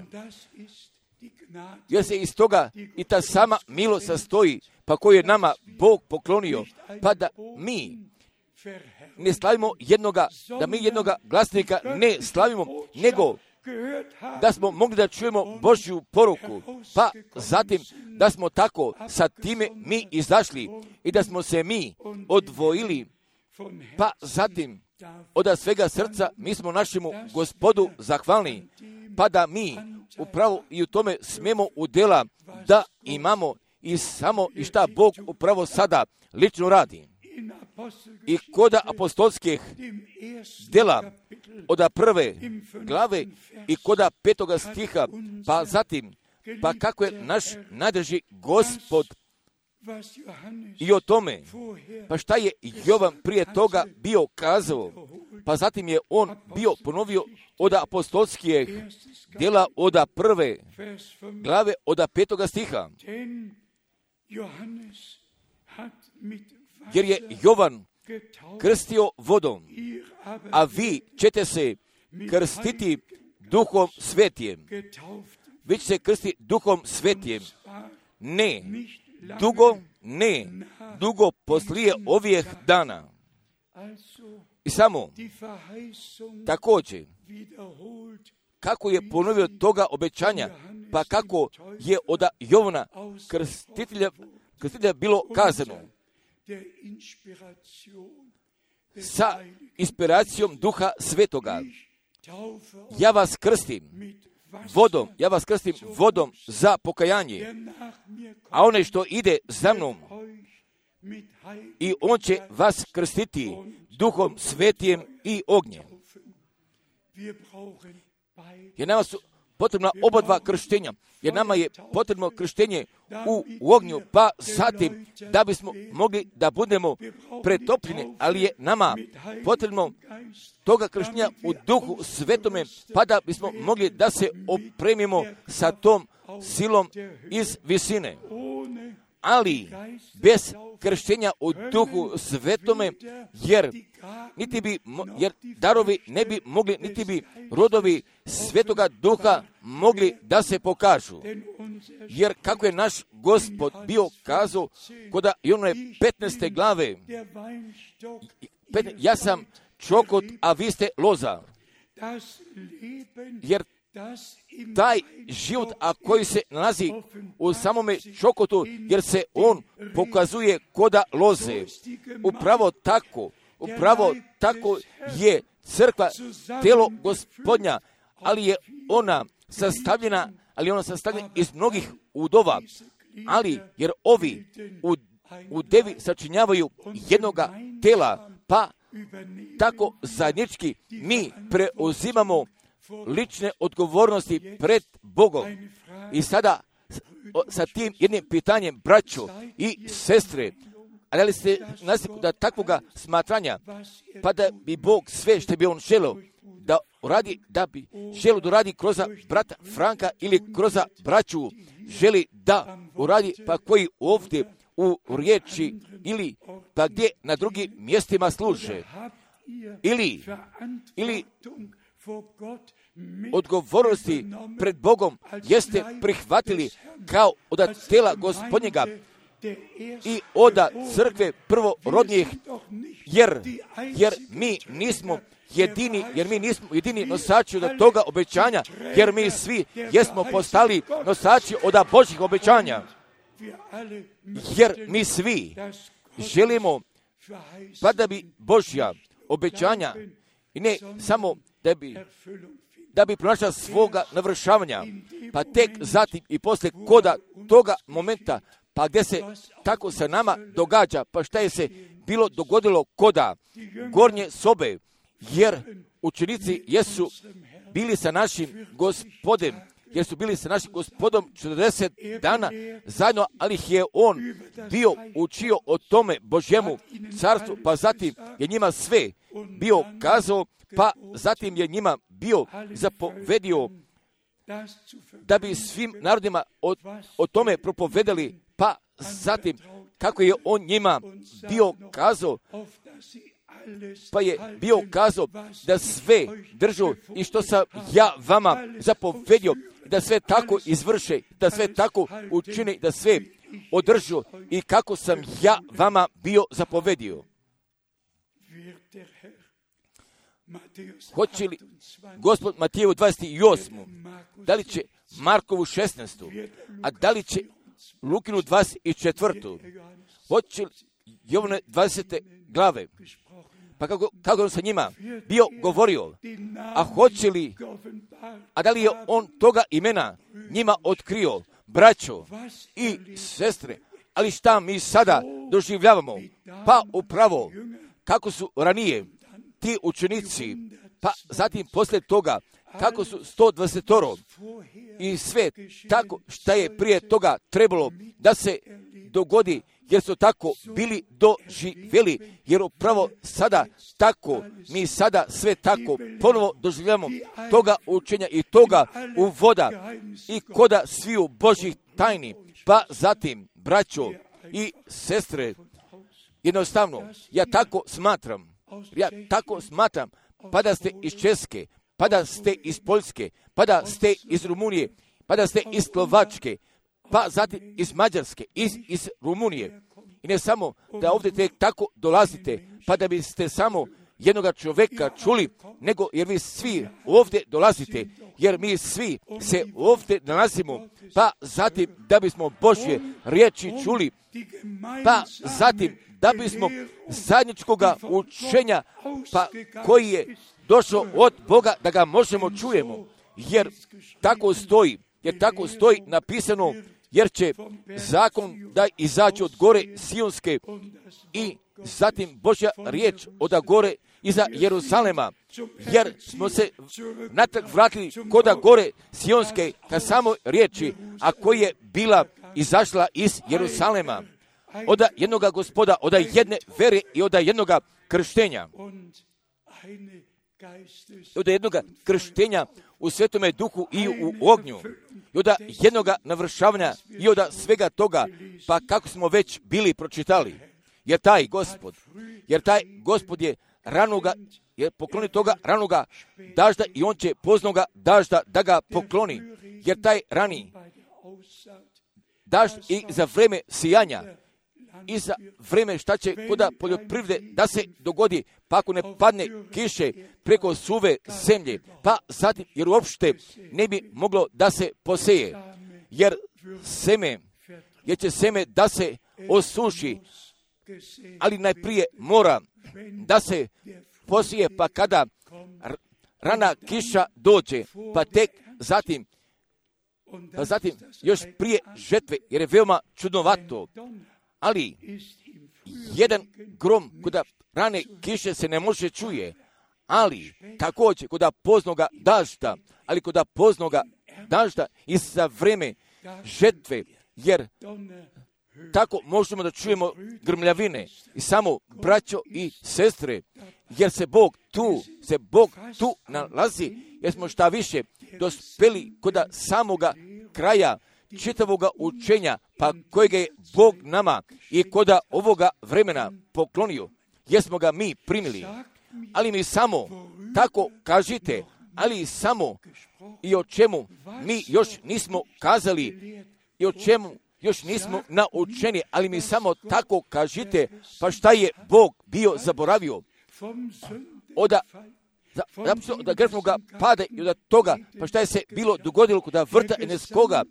Jer se iz toga i ta sama milost sastoji, pa koju je nama Bog poklonio, pa da mi ne slavimo jednoga, da mi jednoga glasnika ne slavimo, nego da smo mogli da čujemo Božju poruku, pa zatim da smo tako sa time mi izašli i da smo se mi odvojili, pa zatim od svega srca mi smo našemu Gospodu zahvalni, pa da mi upravo i u tome smemo udjela da imamo i samo i šta Bog upravo sada lično radi. I kod apostolskih djela od prve glave i kod petoga stiha, pa zatim, pa kako je naš najdrži Gospod i o tome, pa šta je Jovan prije toga bio kazao, pa zatim je on bio ponovio od apostolskih djela od prve glave od petoga stiha. Jer je Jovan krstio vodom, a vi ćete se krstiti Duhom Svetijem. Vi ćete se krstiti Duhom Svetijem. Ne, dugo, ne, dugo poslije ovih dana. I samo, također, kako je ponovio toga obećanja, pa kako je od Jovana krstitelja, krstitelja bilo kazano, sa inspiracijom Duha Svetoga. Ja vas krstim vodom, ja vas krstim vodom za pokajanje, a onaj što ide za mnom, i on će vas krstiti Duhom Svetijem i ognjem. Jer nama su potrebna oba dva krštenja, jer nama je potrebno krštenje u, u ognju, pa zatim da bismo mogli da budemo pretopljeni, ali je nama potrebno toga krštenja u Duhu Svetome, pa da bismo mogli da se opremimo sa tom silom iz visine. Ali bez krštenja u Duhu Svetome, jer niti bi, jer darovi ne bi mogli, niti bi rodovi Svetoga Duha mogli da se pokažu. Jer kako je naš Gospod bio kazao kod one petnaeste glave, ja sam čokot, a vi ste loza. Jer taj život, a koji se nalazi u samome čokotu, jer se on pokazuje koda loze. Upravo tako, upravo tako je crkva telo Gospodnja, ali je ona sastavljena, ali je ona sastavljena iz mnogih udova, ali jer ovi u, u devi sačinjavaju jednoga tela, pa tako zajednički mi preuzimamo lične odgovornosti pred Bogom. I sada sa tim jednim pitanjem, braćo i sestre, a da li ste nastavili da takvoga smatranja, pa da bi Bog sve što bi on želeo da uradi, da bi želeo da uradi kroz brata Franka ili kroz braću, želi da uradi, pa koji ovdje u riječi ili pa gdje na drugim mjestima služe. Ili, ili odgovornosti pred Bogom jeste prihvatili kao od tela Gospodnjega i od crkve prvorodnijih, jer, jer mi nismo jedini, jer mi nismo jedini nosači od toga obećanja, jer mi svi jesmo postali nosači od Božjih obećanja, jer mi svi želimo pa da bi Božja obećanja i ne samo da bi da bi pronašla svoga navršavanja, pa tek zatim i poslije koda toga momenta, pa gdje se tako sa nama događa, pa šta je se bilo dogodilo koda gornje sobe, jer učenici jesu bili sa našim Gospodem, jer su bili sa našim Gospodom četrdeset dana zajedno, ali ih je on bio učio o tome Božjemu carstvu, pa zatim je njima sve bio kazao, pa zatim je njima bio zapovedio da bi svim narodima o, o tome propovedali, pa zatim kako je on njima bio kazao, pa je bio kazao da sve držu i što sam ja vama zapovedio, da sve tako izvrše, da sve tako učine, da sve održu i kako sam ja vama bio zapovedio. Hoće li Gospod Mateju dvadeset osmu, da li će Markovu šesnaestu, a da li će Lukinu dvadeset četvrtu, hoće li Jovane dvadesete glave, pa kako, kako on sa njima bio govorio, a hoće li, a da li je on toga imena njima otkrio, braćo i sestre, ali šta mi sada doživljavamo, pa upravo kako su ranije ti učenici, pa zatim poslije toga kako su sto dvadeset i sve tako šta je prije toga trebalo da se dogodi, jer su tako bili doživjeli, jer upravo sada tako, mi sada sve tako ponovo doživljamo toga učenja i toga uvoda i koda sviju Božjih tajni, pa zatim, braćo i sestre, jednostavno, ja tako smatram, ja tako smatram, pa da ste iz Česke, pa da ste iz Poljske, pa da ste iz Rumunije, pa da ste iz Slovačke, pa zatim iz Mađarske, iz, iz Rumunije. I ne samo da ovdje tek tako dolazite, pa da biste samo jednoga čovjeka čuli, nego jer vi svi ovdje dolazite, jer mi svi se ovdje nalazimo, pa zatim da bismo Božje riječi čuli, pa zatim da bismo zajedničkoga učenja, pa koji je došao od Boga, da ga možemo čujemo, jer tako stoji, jer tako stoji napisano, jer će zakon da izađe od gore Sionske i zatim Božja riječ od gore iza Jeruzalema, jer smo se natrag vratili koda gore Sionske ka samo riječi, a koja je bila izašla iz Jeruzalema, od jednoga Gospoda, od jedne vere i od jednoga krštenja. Od jednoga krštenja u Svetome Duhu i u ognju, i od jednoga navršavanja i od svega toga, pa kako smo već bili pročitali. jer taj gospod, jer taj gospod je ranoga, jer pokloni toga ranoga dažda i on će poznoga dažda da ga pokloni, jer taj rani dažd i za vreme sijanja i za vreme šta će kod poljoprivrede da se dogodi, pa ako ne padne kiše preko suve zemlje, pa zatim jer uopšte ne bi moglo da se poseje, jer seme, jer će seme da se osuši, ali najprije mora da se posije, pa kada rana kiša dođe, pa tek zatim, pa zatim još prije žetve, jer je veoma čudnovato, ali jedan grom kod rane kiše se ne može čuje, ali također kod poznoga dažda, ali kod poznoga dažda i za vreme žetve, jer tako možemo da čujemo grmljavine i samo braćo i sestre, jer se Bog tu, se Bog tu nalazi, jer smo šta više dospeli kod samoga kraja čitavoga učenja, pa kojega je Bog nama i kod ovoga vremena poklonio, jer smo ga mi primili. Ali mi samo tako kažite, ali samo i o čemu mi još nismo kazali i o čemu još nismo naučeni, ali mi samo tako kažite, pa šta je Bog bio zaboravio od da grešnoga pada i od toga, pa šta je se bilo dogodilo kod vrta Eneskoga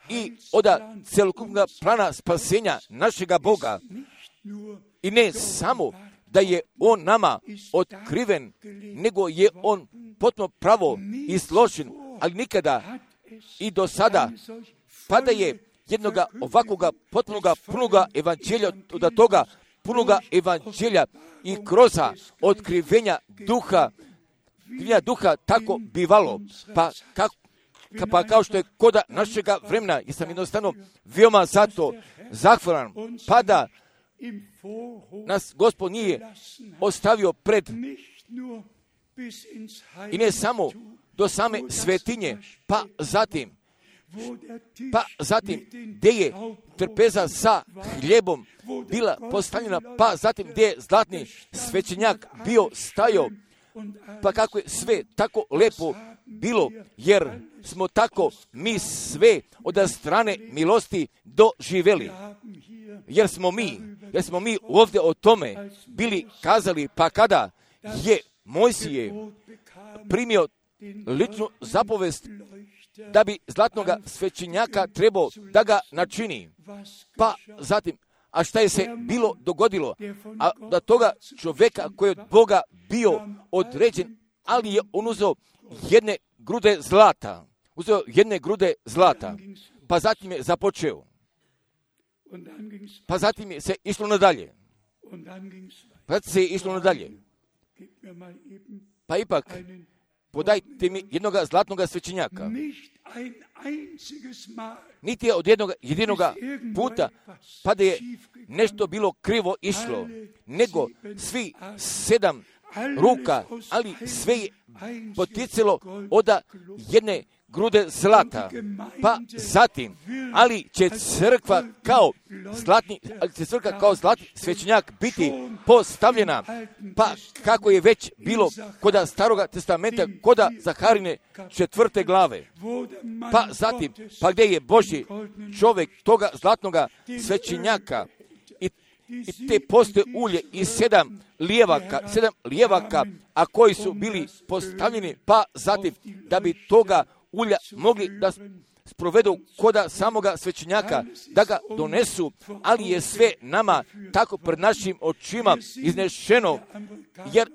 i od celokupnog plana spasenja našega Boga. I ne samo da je on nama otkriven, nego je on potpuno pravo i složen, ali nikada i do sada, pa da je jednoga ovakvoga potpunoga punoga evanđelja, od toga punoga evanđelja i kroza otkrivenja duha, otkrivenja duha tako bivalo, pa, kako, pa kao što je koda našega vremena, jer sam jednostavno veoma zato zahvalan, pa da nas Gospod nije ostavio pred i ne samo do same svetinje, pa zatim pa zatim gdje je trpeza sa hljebom bila postavljena, pa zatim gdje je zlatni svećenjak bio stajao, pa kako je sve tako lepo bilo, jer smo tako mi sve od strane milosti doživjeli, jer smo mi, jer smo mi ovdje o tome bili kazali, pa kada je Mojsije primio ličnu zapovest da bi zlatnoga svećenjaka trebao da ga načini, pa zatim, a šta je se bilo dogodilo, a da toga čovjeka koji je od Boga bio određen, ali je on uzeo jedne grude zlata, uzeo jedne grude zlata, pa zatim je započeo, pa zatim je se išlo nadalje, pa zatim se je išlo nadalje, pa ipak, podajte mi jednoga zlatnoga svećenjaka. Niti je od jednog jedinoga puta, pa da je nešto bilo krivo išlo, nego svi sedam ruka, ali sve je poticalo od jedne grude zlata. Pa zatim, ali će crkva kao zlatni, ali će crkva kao zlatni svećenjak biti postavljena, pa kako je već bilo kod Staroga testamenta, kod Zaharine četvrte glave. Pa zatim, pa gdje je Božji čovjek toga zlatnoga svećenjaka i, i te postoje ulje i sedam lijevaka, sedam lijevaka, a koji su bili postavljeni, pa zatim da bi toga ulja mogli da sprovedu koda samoga svećenjaka, da ga donesu, ali je sve nama tako pred našim očima iznešeno, jer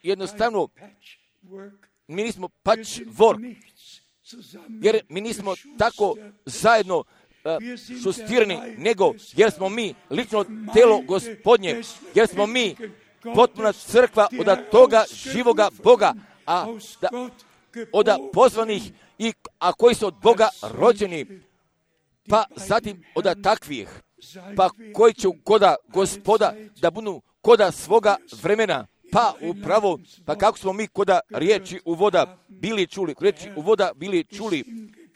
jednostavno mi nismo patchwork, jer mi nismo tako zajedno uh, šustirani, nego jer smo mi lično telo Gospodnje, jer smo mi potpuna crkva od toga živoga Boga, a da, od pozvanih i a koji su od Boga rođeni, pa zatim od takvih, pa koji će koda Gospoda da budu koda svoga vremena, pa upravo, pa kako smo mi koda riječi u voda bili čuli, riječi u voda bili čuli,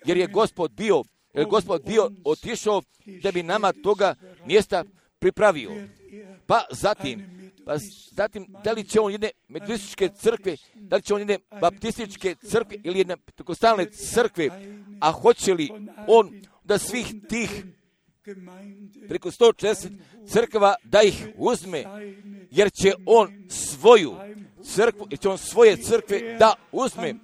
jer je Gospod bio, jer je Gospod bio otišao da bi nama toga mjesta pripravio. pa zatim, pa zatim, da li će on jedne metodističke crkve, da li će on jedne baptističke crkve ili jedne pentekostalne crkve, a hoće li on da svih tih preko sto četrdeset crkva da ih uzme, jer će on svoju crkvu, jer će on svoje crkve da uzme,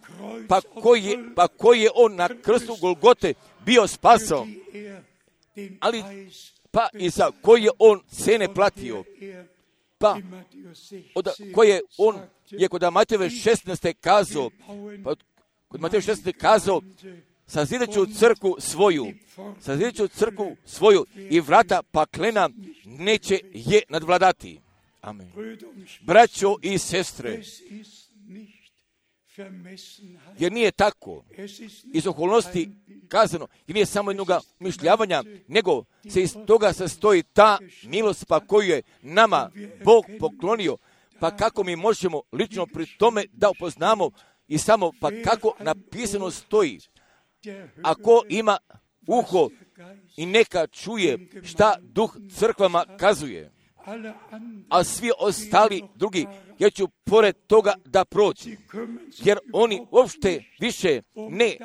pa koji je, pa koji je on na krstu Golgote bio spasao, ali pa i za koji je on cene platio, pa od koje on je kod Matejeve šesnaeste kazao, pa kod Matejeve šesnaeste kazao, sazidat ću crkvu svoju, sazidat ću crkvu svoju i vrata paklena neće je nadvladati. Amen. Braćo i sestre, jer nije tako iz okolnosti kazano, jer nije samo jednoga mišljavanja, nego se iz toga sastoji ta milost pa koju je nama Bog poklonio, pa kako mi možemo lično pri tome da upoznamo i samo pa kako napisano stoji. Ako ima uho i neka čuje šta duh crkvama kazuje, a svi ostali drugi, ja ću pored toga da prođu, jer oni uopšte više ne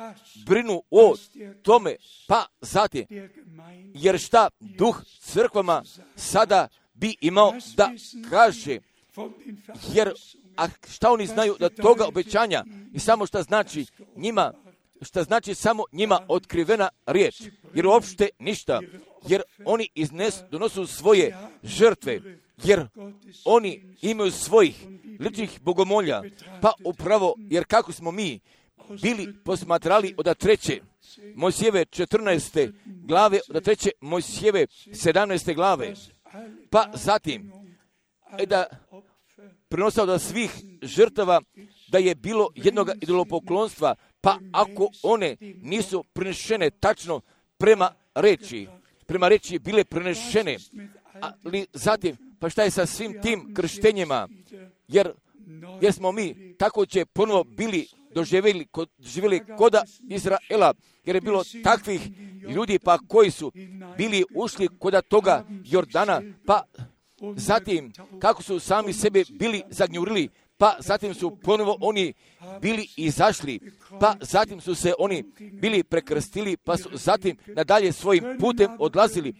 brinu o tome, pa zatim, jer šta duh crkvama sada bi imao da kaže, jer a šta oni znaju da toga obećanja i samo šta znači njima, šta znači samo njima otkrivena riječ, jer uopšte ništa, jer oni iznes, donosu svoje žrtve, jer oni imaju svojih ličnih bogomolja, pa upravo, jer kako smo mi bili posmatrali od treće Mojsijeve četrnaeste glave, od treće Mojsijeve sedamnaeste glave, pa zatim e da prenosao da svih žrtava da je bilo jednog idolopoklonstva, pa ako one nisu prenešene tačno prema reči, prema reči bile prenešene, ali zatim, pa šta je sa svim tim krštenjima, jer, jer smo mi također ponovo bili doživjeli kod, doživjeli koda Izraela, jer je bilo takvih ljudi pa koji su bili ušli koda toga Jordana, pa zatim kako su sami sebe bili zagnjurili, pa zatim su ponovo oni bili izašli, pa zatim su se oni bili prekrstili, pa su zatim nadalje svojim putem odlazili,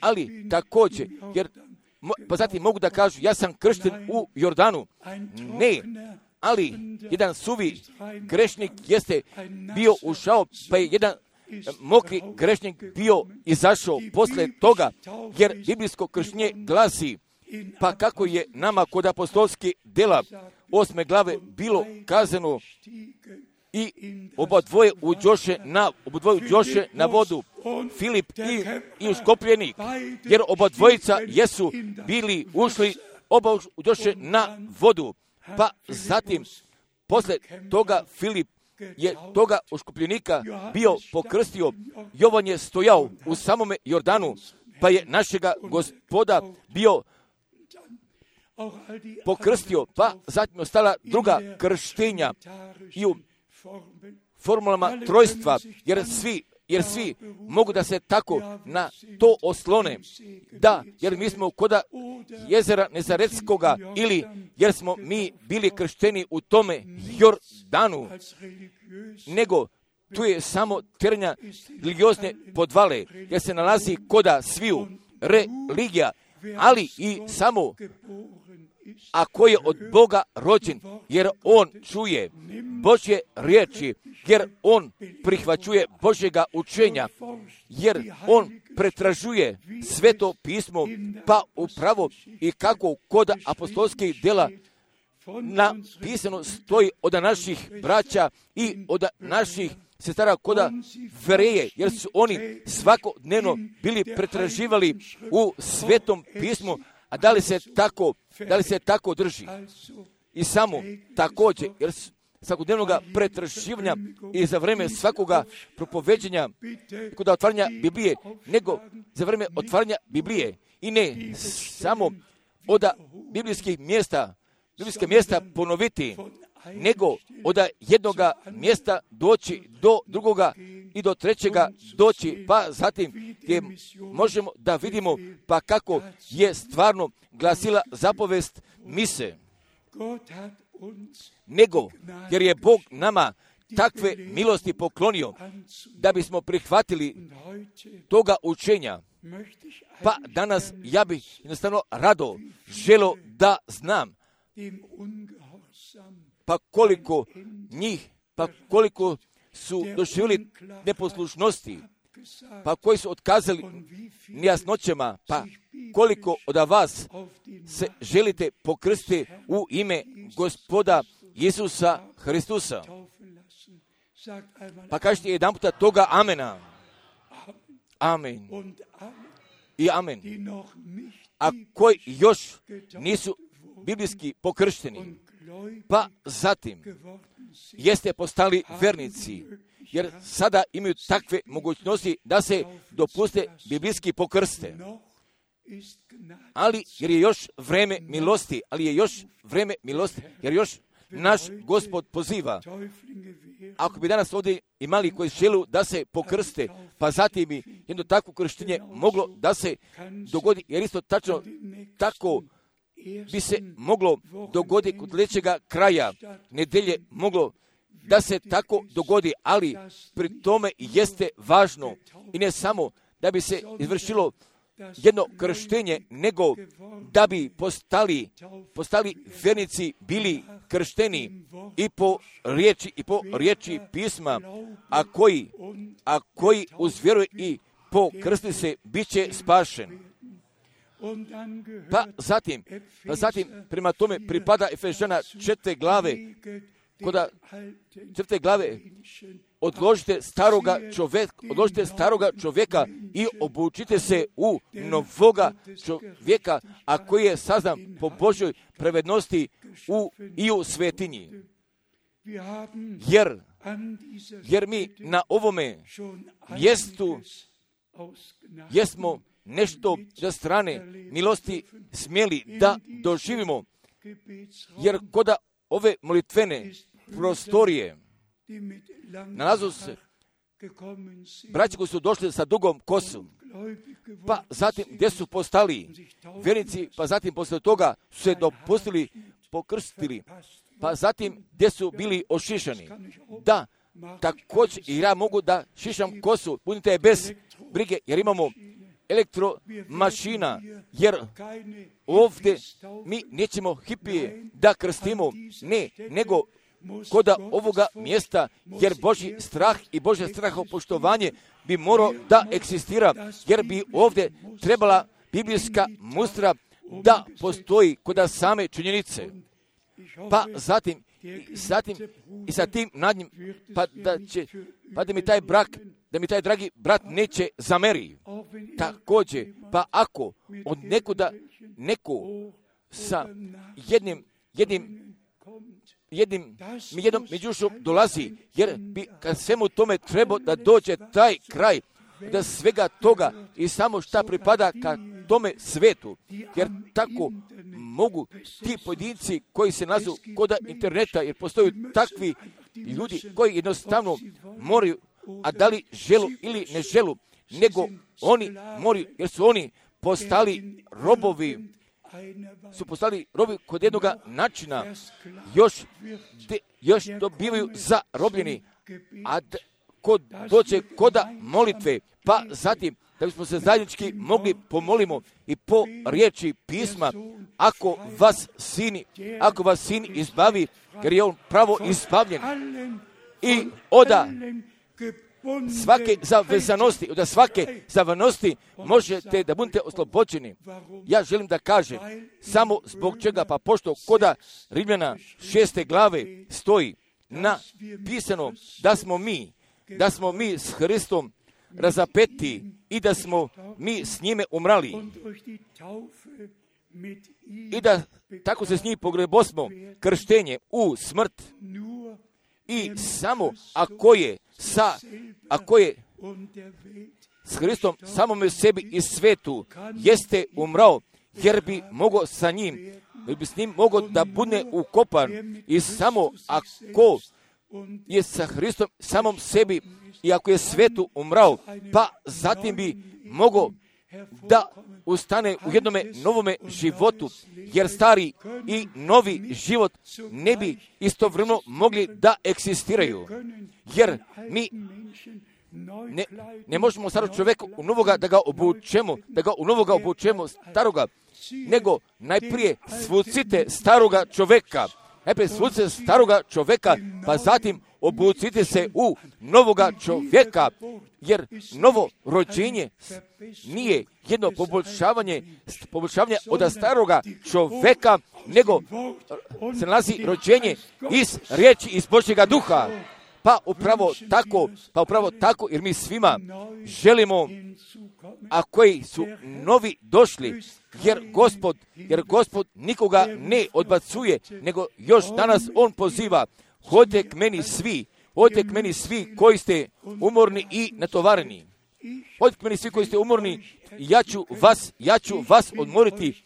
ali također, jer pa zatim mogu da kažu, ja sam kršten u Jordanu. Ne, ali jedan suvi grešnik jeste bio ušao, pa je jedan mokri grešnik bio izašao posle toga, jer biblijsko krštenje glasi, pa kako je nama kod apostolskih dela osme glave bilo kazano, i oba dvoje uđoše na, oba dvoje uđoše na vodu, Filip i, i uškopljenik, jer oba dvojica jesu bili ušli, oba uđoše na vodu, pa zatim posle toga Filip je toga uškopljenika bio pokrstio, Jovan je stojao u samome Jordanu, pa je našega Gospoda bio pokrstio, pa zatim ostala druga krštenja i u formulama trojstva, jer svi, jer svi mogu da se tako na to oslone, da, jer mi smo koda jezera Nezaretskoga, ili jer smo mi bili kršteni u tome Jordanu, nego tu je samo terenja religiozne podvale, jer se nalazi koda sviju religija, ali i samo ako je od Boga rođen, jer on čuje Božje riječi, jer on prihvaćuje Božjega učenja, jer on pretražuje sveto pismo, pa upravo i kako kod apostolskih dela napisano stoji od naših braća i od naših sestara koda Vereje, jer su oni svakodnevno bili pretraživali u svetom pismu, a da li se tako, da li se tako drži. I samo također, jer svakodnevnog pretraživanja i za vreme svakoga propoveđenja kod otvaranja Biblije, nego za vreme otvaranja Biblije i ne samo od biblijskih mjesta, biblijske mjesta ponoviti, nego od jednoga mjesta doći do drugoga i do trećega doći, pa zatim gdje možemo da vidimo pa kako je stvarno glasila zapovest mise. Nego, jer je Bog nama takve milosti poklonio da bismo prihvatili toga učenja. Pa danas ja bih jednostavno rado želo da znam pa koliko njih, pa koliko su doživjeli neposlušnosti, pa koji su otkazali nejasnoćama, pa koliko od vas se želite pokrstiti u ime Gospoda Isusa Hristusa. Pa kažete jedan puta toga amena. Amen. I amen. A koji još nisu biblijski pokršteni, pa zatim jeste postali vernici, jer sada imaju takve mogućnosti da se dopuste biblijski pokrste. Ali jer je još vreme milosti, ali je još vreme milosti, jer još naš Gospod poziva. Ako bi danas ovdje imali koji želu da se pokrste, pa zatim bi jedno takvo krštenje moglo da se dogodi, jer isto tačno tako bi se moglo dogoditi kod sljedećega kraja nedelje, moglo da se tako dogodi, ali pri tome jeste važno i ne samo da bi se izvršilo jedno krštenje, nego da bi postali, postali vernici bili kršteni i po riječi i po riječi pisma, a koji, a koji uz vjeru i po krsti se bit će spašen. Pa zatim, pa zatim prema tome pripada Efežana četvrte glave, koda četvrte glave odložite staroga čovjeka, odložite staroga čovjeka i obučite se u novoga čovjeka, a koji je sazdan po Božoj pravednosti u, i u svetinji. Jer, jer mi na ovome mjestu jesmo nešto za strane milosti smjeli da doživimo, jer koda ove molitvene prostorije nalazu se braći koji su došli sa dugom kosom, pa zatim gdje su postali vjernici, pa zatim poslije toga su se dopustili, pokrstili, pa zatim gdje su bili ošišani. Da, također i ja mogu da šišam kosu, budite bez brige, jer imamo elektromašina, jer ovdje mi nećemo hipije da krstimo, ne, nego koda ovoga mjesta, jer Božji strah i Božje strahopoštovanje bi morao da eksistira, jer bi ovdje trebala biblijska mustra da postoji koda same činjenice. Pa zatim, i, zatim, i sa tim nad njim, pa da će, pa da mi taj brak, da mi taj dragi brat neće zameri. Također, pa ako od nekuda neko sa jednim, jednim, jednim, jednom međušom dolazi, jer bi kad svemu tome treba da dođe taj kraj, da svega toga i samo šta pripada ka tome svetu, jer tako mogu ti pojedinci koji se nazu koda interneta, jer postoju takvi ljudi koji jednostavno moraju, a da li želu ili ne želu, nego oni moraju, jer su oni postali robovi, su postali robovi kod jednoga načina, još, de, još dobivaju zarobljeni, a d, kod doće koda molitve, pa zatim da bismo se zajednički mogli pomolimo i po riječi pisma, ako vas sin, ako vas sin izbavi, jer je on pravo izbavljen i oda svake zavezanosti, od svake zavanosti možete da budete oslobođeni. Ja želim da kažem samo zbog čega, pa pošto koda Rimljana šeste glave stoji napisano da smo mi, da smo mi s Hristom razapeti i da smo mi s njime umrali i da tako se s njim pogrebosmo krštenje u smrt. I samo ako je sa, ako je s Hristom samome sebi i svetu jeste umrao, jer bi mogao sa njim da bi s njim mogao da bude ukopan i samo ako je sa Hristom samom sebi i ako je svetu umrao, pa zatim bi mogao da ustane u jednome novome životu, jer stari i novi život ne bi istovremeno mogli da eksistiraju, jer mi ne, ne možemo starog čovjeka u novoga da ga obučemo, da ga u novoga obučemo staroga, nego najprije svucite staroga čovjeka, najprije svucite staroga čovjeka, pa zatim obucite se u novoga čovjeka, jer novo rođenje nije jedno poboljšavanje, poboljšavanje od staroga čovjeka, nego se nalazi rođenje iz riječi, iz Božjega duha. Pa upravo tako, pa upravo tako, jer mi svima želimo, a koji su novi došli, jer Gospod, jer Gospod nikoga ne odbacuje, nego još danas On poziva, hodite k meni svi, hodite k meni svi koji ste umorni i natovareni. Hodite k meni svi koji ste umorni, ja ću vas, ja ću vas odmoriti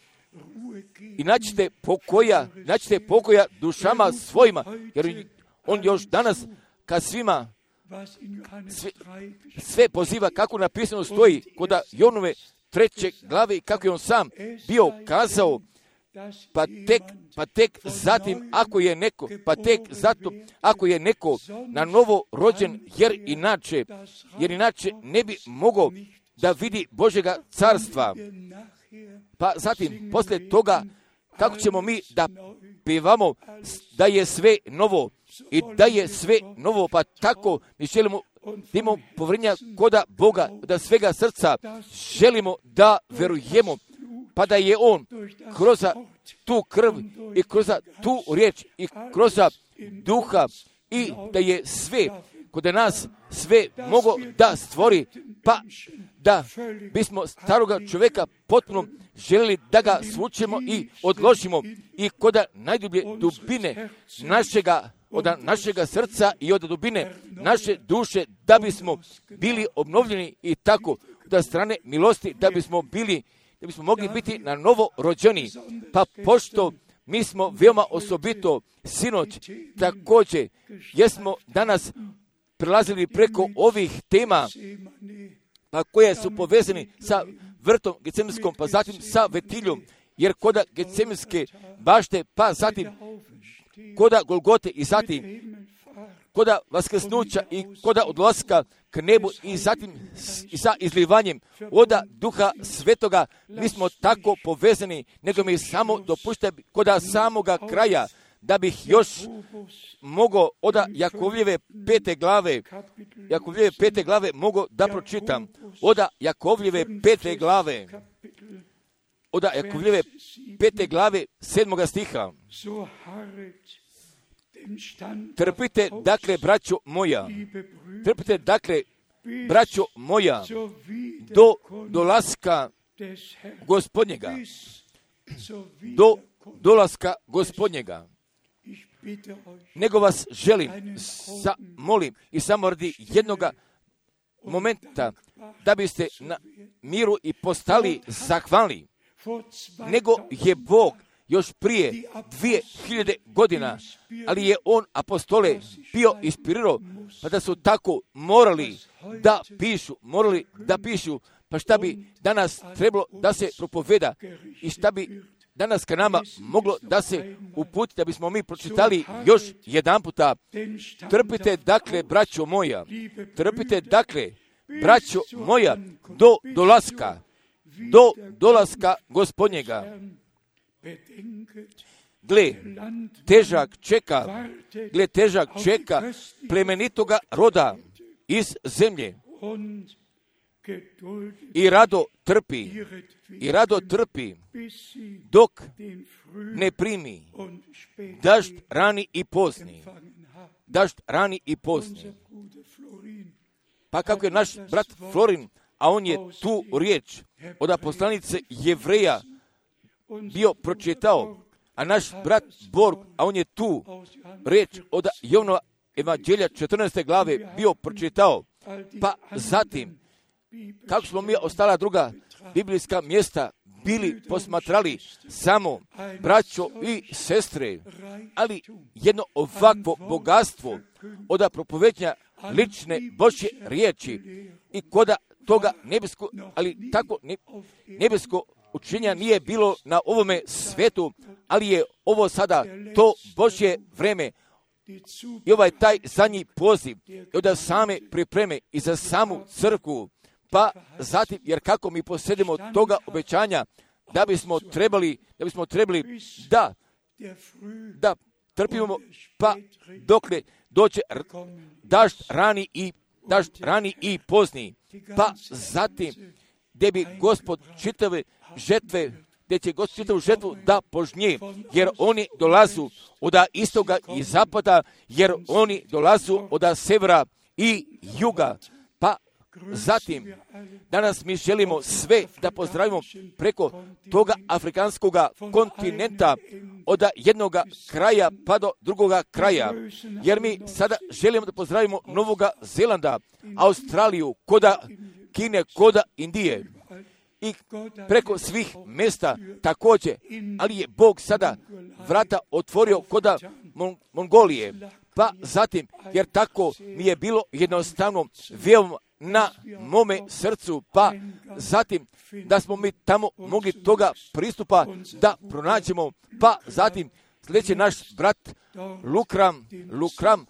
i naćite pokoja, naćite pokoja dušama svojima, jer On još danas kad svima sve, sve poziva kako napisano stoji kod Jonove treće glave i kako je on sam bio kazao, pa tek, pa tek zatim ako je neko, pa tek zato ako je neko na novo rođen, jer inače, jer inače ne bi mogao da vidi Božjega carstva. Pa zatim, poslije toga, kako ćemo mi da pevamo da je sve novo i da je sve novo, pa tako mi želimo da imamo povjerenja koda Boga, da svega srca želimo da verujemo, pa da je On kroz tu krv i kroz tu riječ i kroz duha i da je sve kod nas sve mogo da stvori, pa da bismo staroga čovjeka potpuno želili da ga svučemo i odložimo i kod najdublje dubine našega, od našega srca i od dubine naše duše, da bismo bili obnovljeni i tako da strane milosti, da bismo bili, da bismo mogli biti na novo rođeni. Pa pošto mi smo veoma osobito sinoć također jesmo danas prelazili preko ovih tema, pa koje su povezani sa vrtom Gecemskom, pa zatim sa Vetiljom, jer koda Gecemenske bašte, pa zatim koda Golgote i zatim koda Vaskrsnuća i koda odlaska k nebu i zatim i sa izlivanjem oda Duha Svetoga, mi smo tako povezani, nego mi samo dopušta koda samoga kraja, da bih još mogao od Jakovljeve pete glave, Jakovljeve pete glave mogao da pročitam, od Jakovljeve pete glave, od Jakovljeve pete glave sedmoga stiha. Trpite, dakle, braćo moja, trpite, dakle, braćo moja, do dolaska Gospodnjega, do dolaska Gospodnjega. Nego vas želim, sa, molim i samo radi jednoga momenta da biste na miru i postali zahvalni, nego je Bog još prije dvije hiljade godina, ali je On apostole bio inspirirao, pa da su tako morali da pišu, morali da pišu, pa šta bi danas trebalo da se propoveda i šta bi danas ka nama moglo da se uputi, da bismo mi pročitali još jedan puta. Trpite, dakle, braćo moja, trpite, dakle, braćo moja, do dolaska, do dolaska Gospodnjega. Gle, težak čeka, gle, težak čeka plemenitoga roda iz zemlje i rado trpi, i rado trpi, dok ne primi dažd rani i pozni, dažd rani i pozni. Pa kako je naš brat Florin, a on je tu riječ od poslanice Jevreja bio pročitao, a naš brat Borg, a on je tu riječ od Jovanova evanđelja četrnaeste glave bio pročitao, pa zatim kako smo mi ostala druga biblijska mjesta bili posmatrali samo braćo i sestre, ali jedno ovakvo bogatstvo od propoveđanja lične Božje riječi i koda toga nebesko, ali tako ne, nebesko učenja nije bilo na ovome svetu, ali je ovo sada to Božje vreme i ovaj taj zadnji poziv i od same pripreme i za samu crkvu, pa zatim, jer kako mi posjedimo toga obećanja, da bismo trebali, da bismo trebali da, da trpimo, pa dokle doće dažd rani i dažd rani i pozni, pa zatim gdje bi Gospod čitave žetve, gdje će Gospod čitavu žetvu da požnje, jer oni dolazu od istoga i zapada, jer oni dolazu od severa i juga. Pa zatim, danas mi želimo sve da pozdravimo preko toga afrikanskog kontinenta, od jednog kraja pa do drugoga kraja, jer mi sada želimo da pozdravimo Novoga Zelanda, Australiju, koda Kine, koda Indije i preko svih mjesta također, ali je Bog sada vrata otvorio koda Mon- Mongolije, pa zatim, jer tako mi je bilo jednostavno veoma na mome srcu, pa zatim da smo mi tamo mogli toga pristupa da pronađemo, pa zatim sljedeći naš brat Lukram, Lukram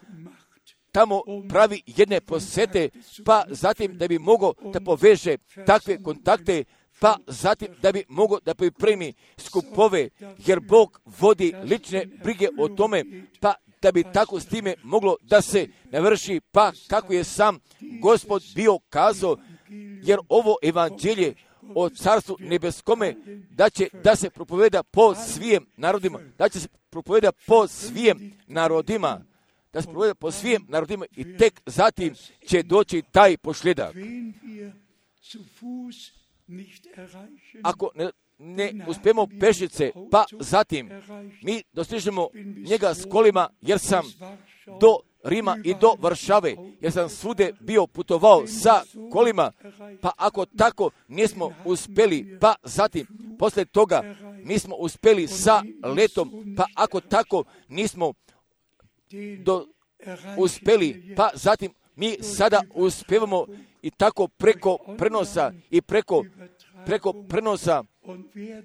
tamo pravi jedne posete, pa zatim da bi mogao da poveže takve kontakte, pa zatim da bi mogao da pripremi skupove, jer Bog vodi lične brige o tome, pa da bi tako s time moglo da se navrši, pa kako je sam Gospod bio kazao, jer ovo evanđelje o carstvu nebeskome da će da se propoveda po svijem narodima, da će se propoveda po svijem narodima, da se propoveda po svijem narodima i tek zatim će doći taj pošljedak. Ako ne, ne uspijemo pešice, pa zatim mi dostižemo njega s kolima, jer sam do Rima i do Varšave, jer sam svude bio putovao sa kolima, pa ako tako nismo uspjeli, pa zatim poslije toga nismo uspjeli sa letom, pa ako tako nismo do, uspjeli, pa zatim mi sada uspijevamo i tako preko prenosa i preko, preko prenosa,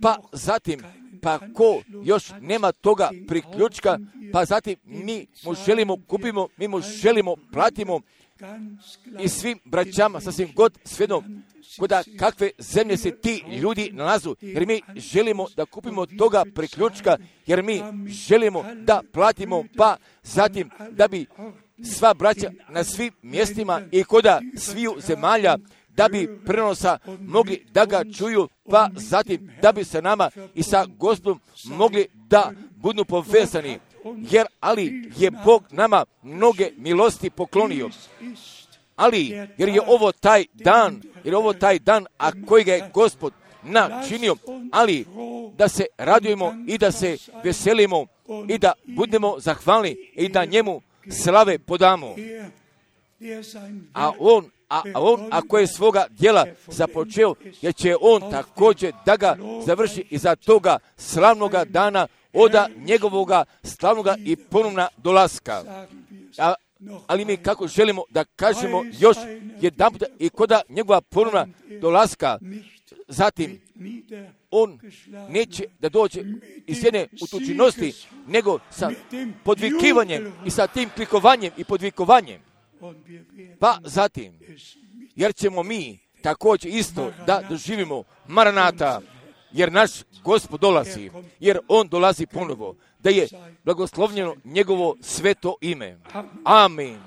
pa zatim, pa ko još nema toga priključka, pa zatim mi mu želimo kupimo, mi mu želimo platimo i svim braćama, sasvim god svejedno, kuda kakve zemlje se ti ljudi nalazu, jer mi želimo da kupimo toga priključka, jer mi želimo da platimo, pa zatim da bi sva braća na svim mjestima i koda sviju zemalja, da bi prenosa mogli da ga čuju, pa zatim da bi se nama i sa Gospodom mogli da budu povezani, jer ali je Bog nama mnoge milosti poklonio. Ali, jer je ovo taj dan, jer je ovo taj dan, a kojega je Gospod načinio, ali da se radujemo i da se veselimo i da budemo zahvalni i da njemu slave podamo. A on, a, a on ako je svoga djela započeo, jer će on također da ga završi iza toga slavnoga dana oda njegovoga slavnoga i ponovna dolaska. A, ali mi kako želimo da kažemo još jedan puta i koda njegova ponovna dolaska, zatim on neće da dođe iz jedne utučinosti, nego sa podvikivanjem i sa tim klikovanjem i podvikovanjem. Pa zatim, jer ćemo mi također isto da doživimo Maranata, jer naš Gospod dolazi, jer on dolazi ponovo, da je blagoslovljeno njegovo sveto ime. Amin.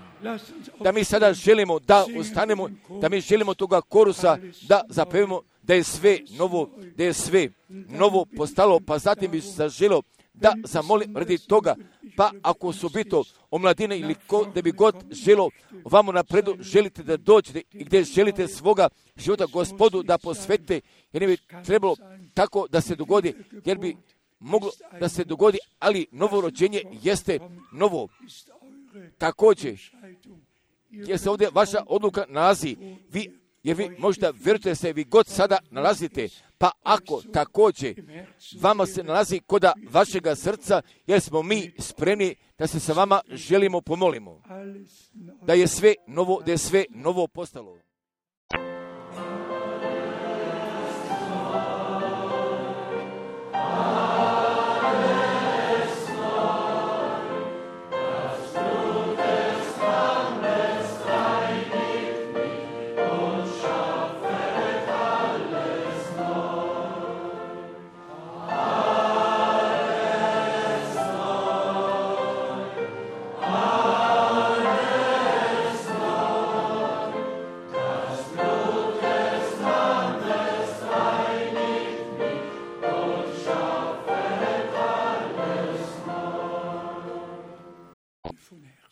Da mi sada želimo da ostanemo, da mi želimo toga korusa da zapevimo da je sve novo, da je sve novo postalo, pa zatim bi se zaželio da zamolim radi toga, pa ako su bito omladine ili ko, da bi god želo vamo napredu, želite da dođete i gdje želite svoga života Gospodu da posvetite, jer ne bi trebalo tako da se dogodi, jer bi moglo da se dogodi, ali novo rođenje jeste novo. Također, jer se ovdje vaša odluka nalazi, vi Jer vi možda vjerujete se vi god sada nalazite, pa ako također vama se nalazi koda vašega srca, jer smo mi spremni da se sa vama želimo pomolimo. Da je sve novo, da je sve novo postalo.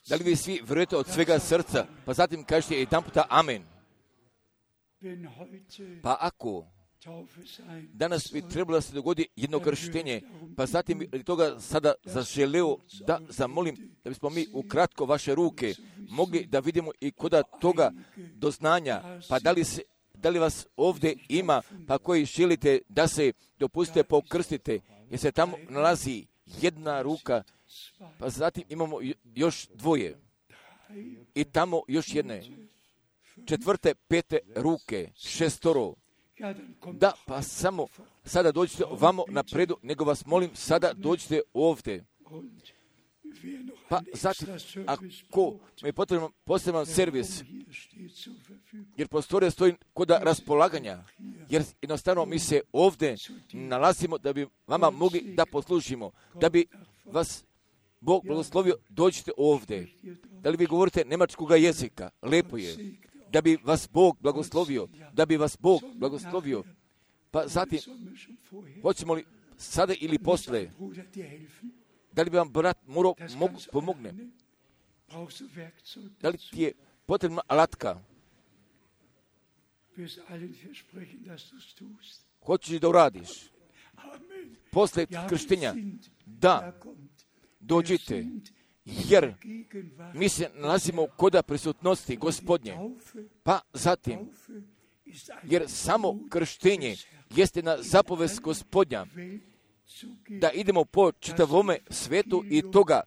Da li vi svi vjerujete od svega srca, pa zatim kažete jedan puta amen. Pa ako danas bi trebalo da se dogodi jedno krštenje, pa zatim bi toga sada zaželeo da zamolim da bismo mi ukratko vaše ruke mogli da vidimo i koda toga doznanja, pa da li, se, da li vas ovdje ima, pa koji želite da se dopustite pokrstite, jer se tamo nalazi jedna ruka, pa zatim imamo još dvoje i tamo još jedne, četvrte, pete ruke, šestoro. Da, pa samo sada dođite vamo napredu, nego vas molim sada dođite ovdje. Pa zatim, ako mi je potrebno poseban servis, jer prostorija stoji kod raspolaganja, jer jednostavno mi se ovdje nalazimo da bi vama mogli da poslužimo, da bi vas Bog blagoslovio, dođite ovdje. Da li vi govorite njemačkoga jezika? Lepo je. Da bi vas Bog blagoslovio, da bi vas Bog blagoslovio. Pa zatim, hoćemo li sada ili posle, da li bi vam brat morao pomogne? Da li ti je potrebna alatka? Hoćeš da uradiš? Posle krštenja, da, dođite, jer mi se nalazimo koda prisutnosti Gospodnje. Pa zatim, jer samo krštenje jeste na zapovest Gospodnja, da idemo po čitavome svetu i toga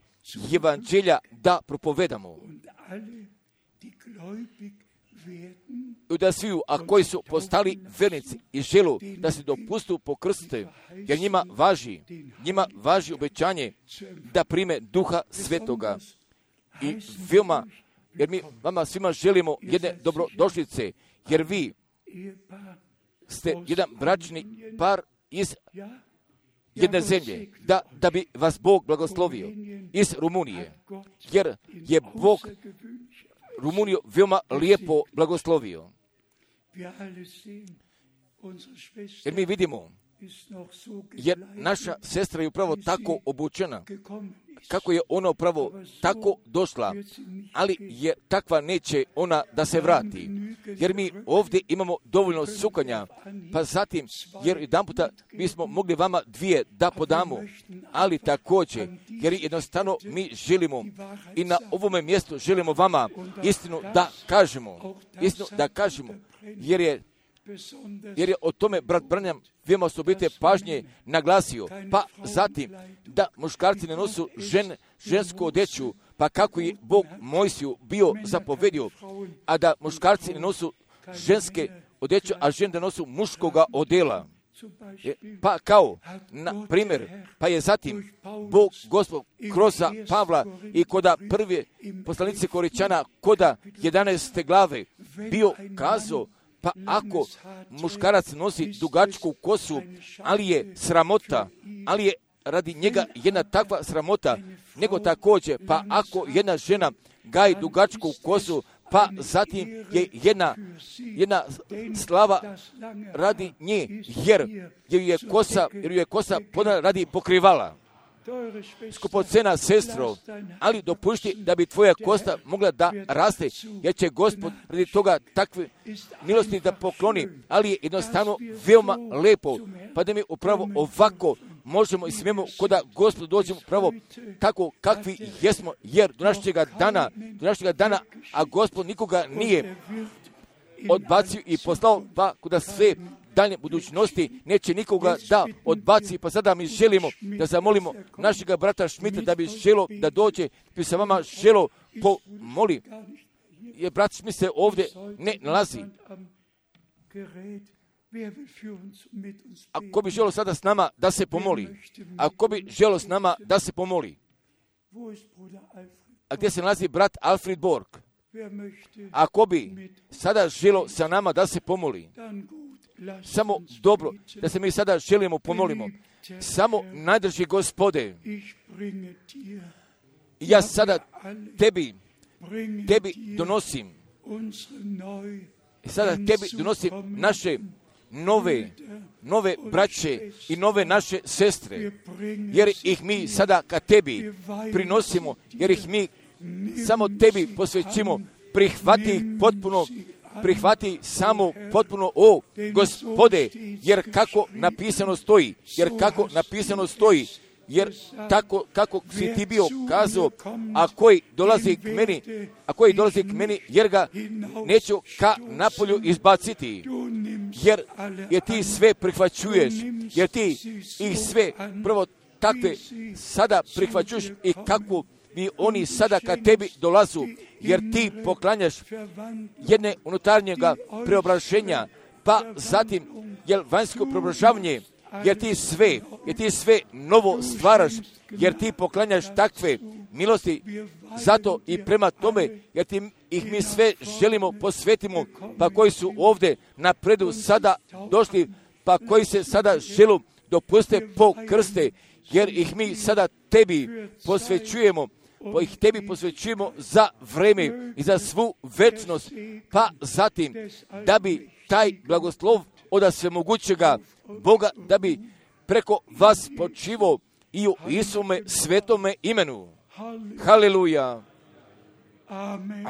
evanđelja da propovedamo. I da svi, a koji su postali vernici i želu da se dopustu pokrstite, jer njima važi, njima važi obećanje da prime Duha Svetoga. I veoma, jer mi vama svima želimo jedne dobrodošlice, jer vi ste jedan bračni par iz jedne zemlje, da, da bi vas Bog blagoslovio iz Rumunije, jer je Bog Rumuniju veoma lijepo blagoslovio. Jer mi vidimo, jer naša sestra je upravo tako obučena, kako je ona upravo tako došla, ali je takva neće ona da se vrati. Jer mi ovdje imamo dovoljno sukanja, pa zatim, jer jedan puta mi smo mogli vama dvije da podamo, ali također, jer jednostavno mi želimo i na ovome mjestu želimo vama istinu da kažemo, istinu da kažemo, jer je jer je o tome brat Branham veoma osobite pažnje naglasio, pa zatim da muškarci ne nosu žen, žensku odeću, pa kako je Bog Mojsiju bio zapovedio, a da muškarci ne nosu ženske odeću, a žene da nosu muškoga odela. Pa kao, na primjer, pa je zatim Bog Gospod kroz Pavla i koda prve poslanice Koričana, koda jedanaeste glave bio kazao, pa ako muškarac nosi dugačku kosu, ali je sramota, ali je radi njega jedna takva sramota, nego također, pa ako jedna žena gaji dugačku kosu, pa zatim je jedna, jedna slava radi nje, jer je kosa, jer je kosa podana radi pokrivala. Skupocena sestro, ali dopušti da bi tvoja kosta mogla da raste, jer će Gospod radi toga takve milosti da pokloni, ali je jednostavno veoma lepo, pa da mi upravo ovako možemo i smijemo koda Gospod dođemo upravo tako kakvi jesmo, jer do našega dana, do našega dana, a Gospod nikoga nije odbacio i poslao, pa kuda sve dalje budućnosti neće nikoga da odbaci. Pa sada mi želimo da zamolimo našega brata Šmita da bi želo da dođe, bi se vama želo pomoli. Jer brat Šmit se ovdje ne nalazi. Ako bi želo sada s nama da se pomoli, ako bi želo s nama da se pomoli, a gdje se nalazi brat Alfred Borg, ako bi sada želo sa nama da se pomoli, samo dobro, da se mi sada želimo pomolimo, samo najdrži Gospode, ja sada tebi, tebi donosim, sada tebi donosim naše nove, nove braće i nove naše sestre, jer ih mi sada ka tebi prinosimo, jer ih mi samo tebi posvećimo, prihvati ih potpuno, prihvati samo potpuno, o Gospode, jer kako napisano stoji, jer kako napisano stoji, jer tako kako si ti bio kazao, a koji dolazi k meni, a koji dolazi k meni, jer ga neću ka napolju izbaciti, jer, jer ti sve prihvaćuješ, jer ti ih sve prvo takve sada prihvaćuješ i kako bi oni sada ka tebi dolazu, jer ti poklanjaš jedne unutarnjega preobraženja, pa zatim jer vanjsko preobražavanje, jer ti sve, jer ti sve novo stvaraš, jer ti poklanjaš takve milosti, zato i prema tome, jer ti ih mi sve želimo posvetimo, pa koji su ovdje napredu sada došli, pa koji se sada želu dopuste po krste, jer ih mi sada tebi posvećujemo, pa ih tebi posvećujemo za vreme i za svu večnost, pa zatim da bi taj blagoslov od svemogućega Boga, da bi preko vas počivo i u Isume svetome imenu. Haleluja. Amen.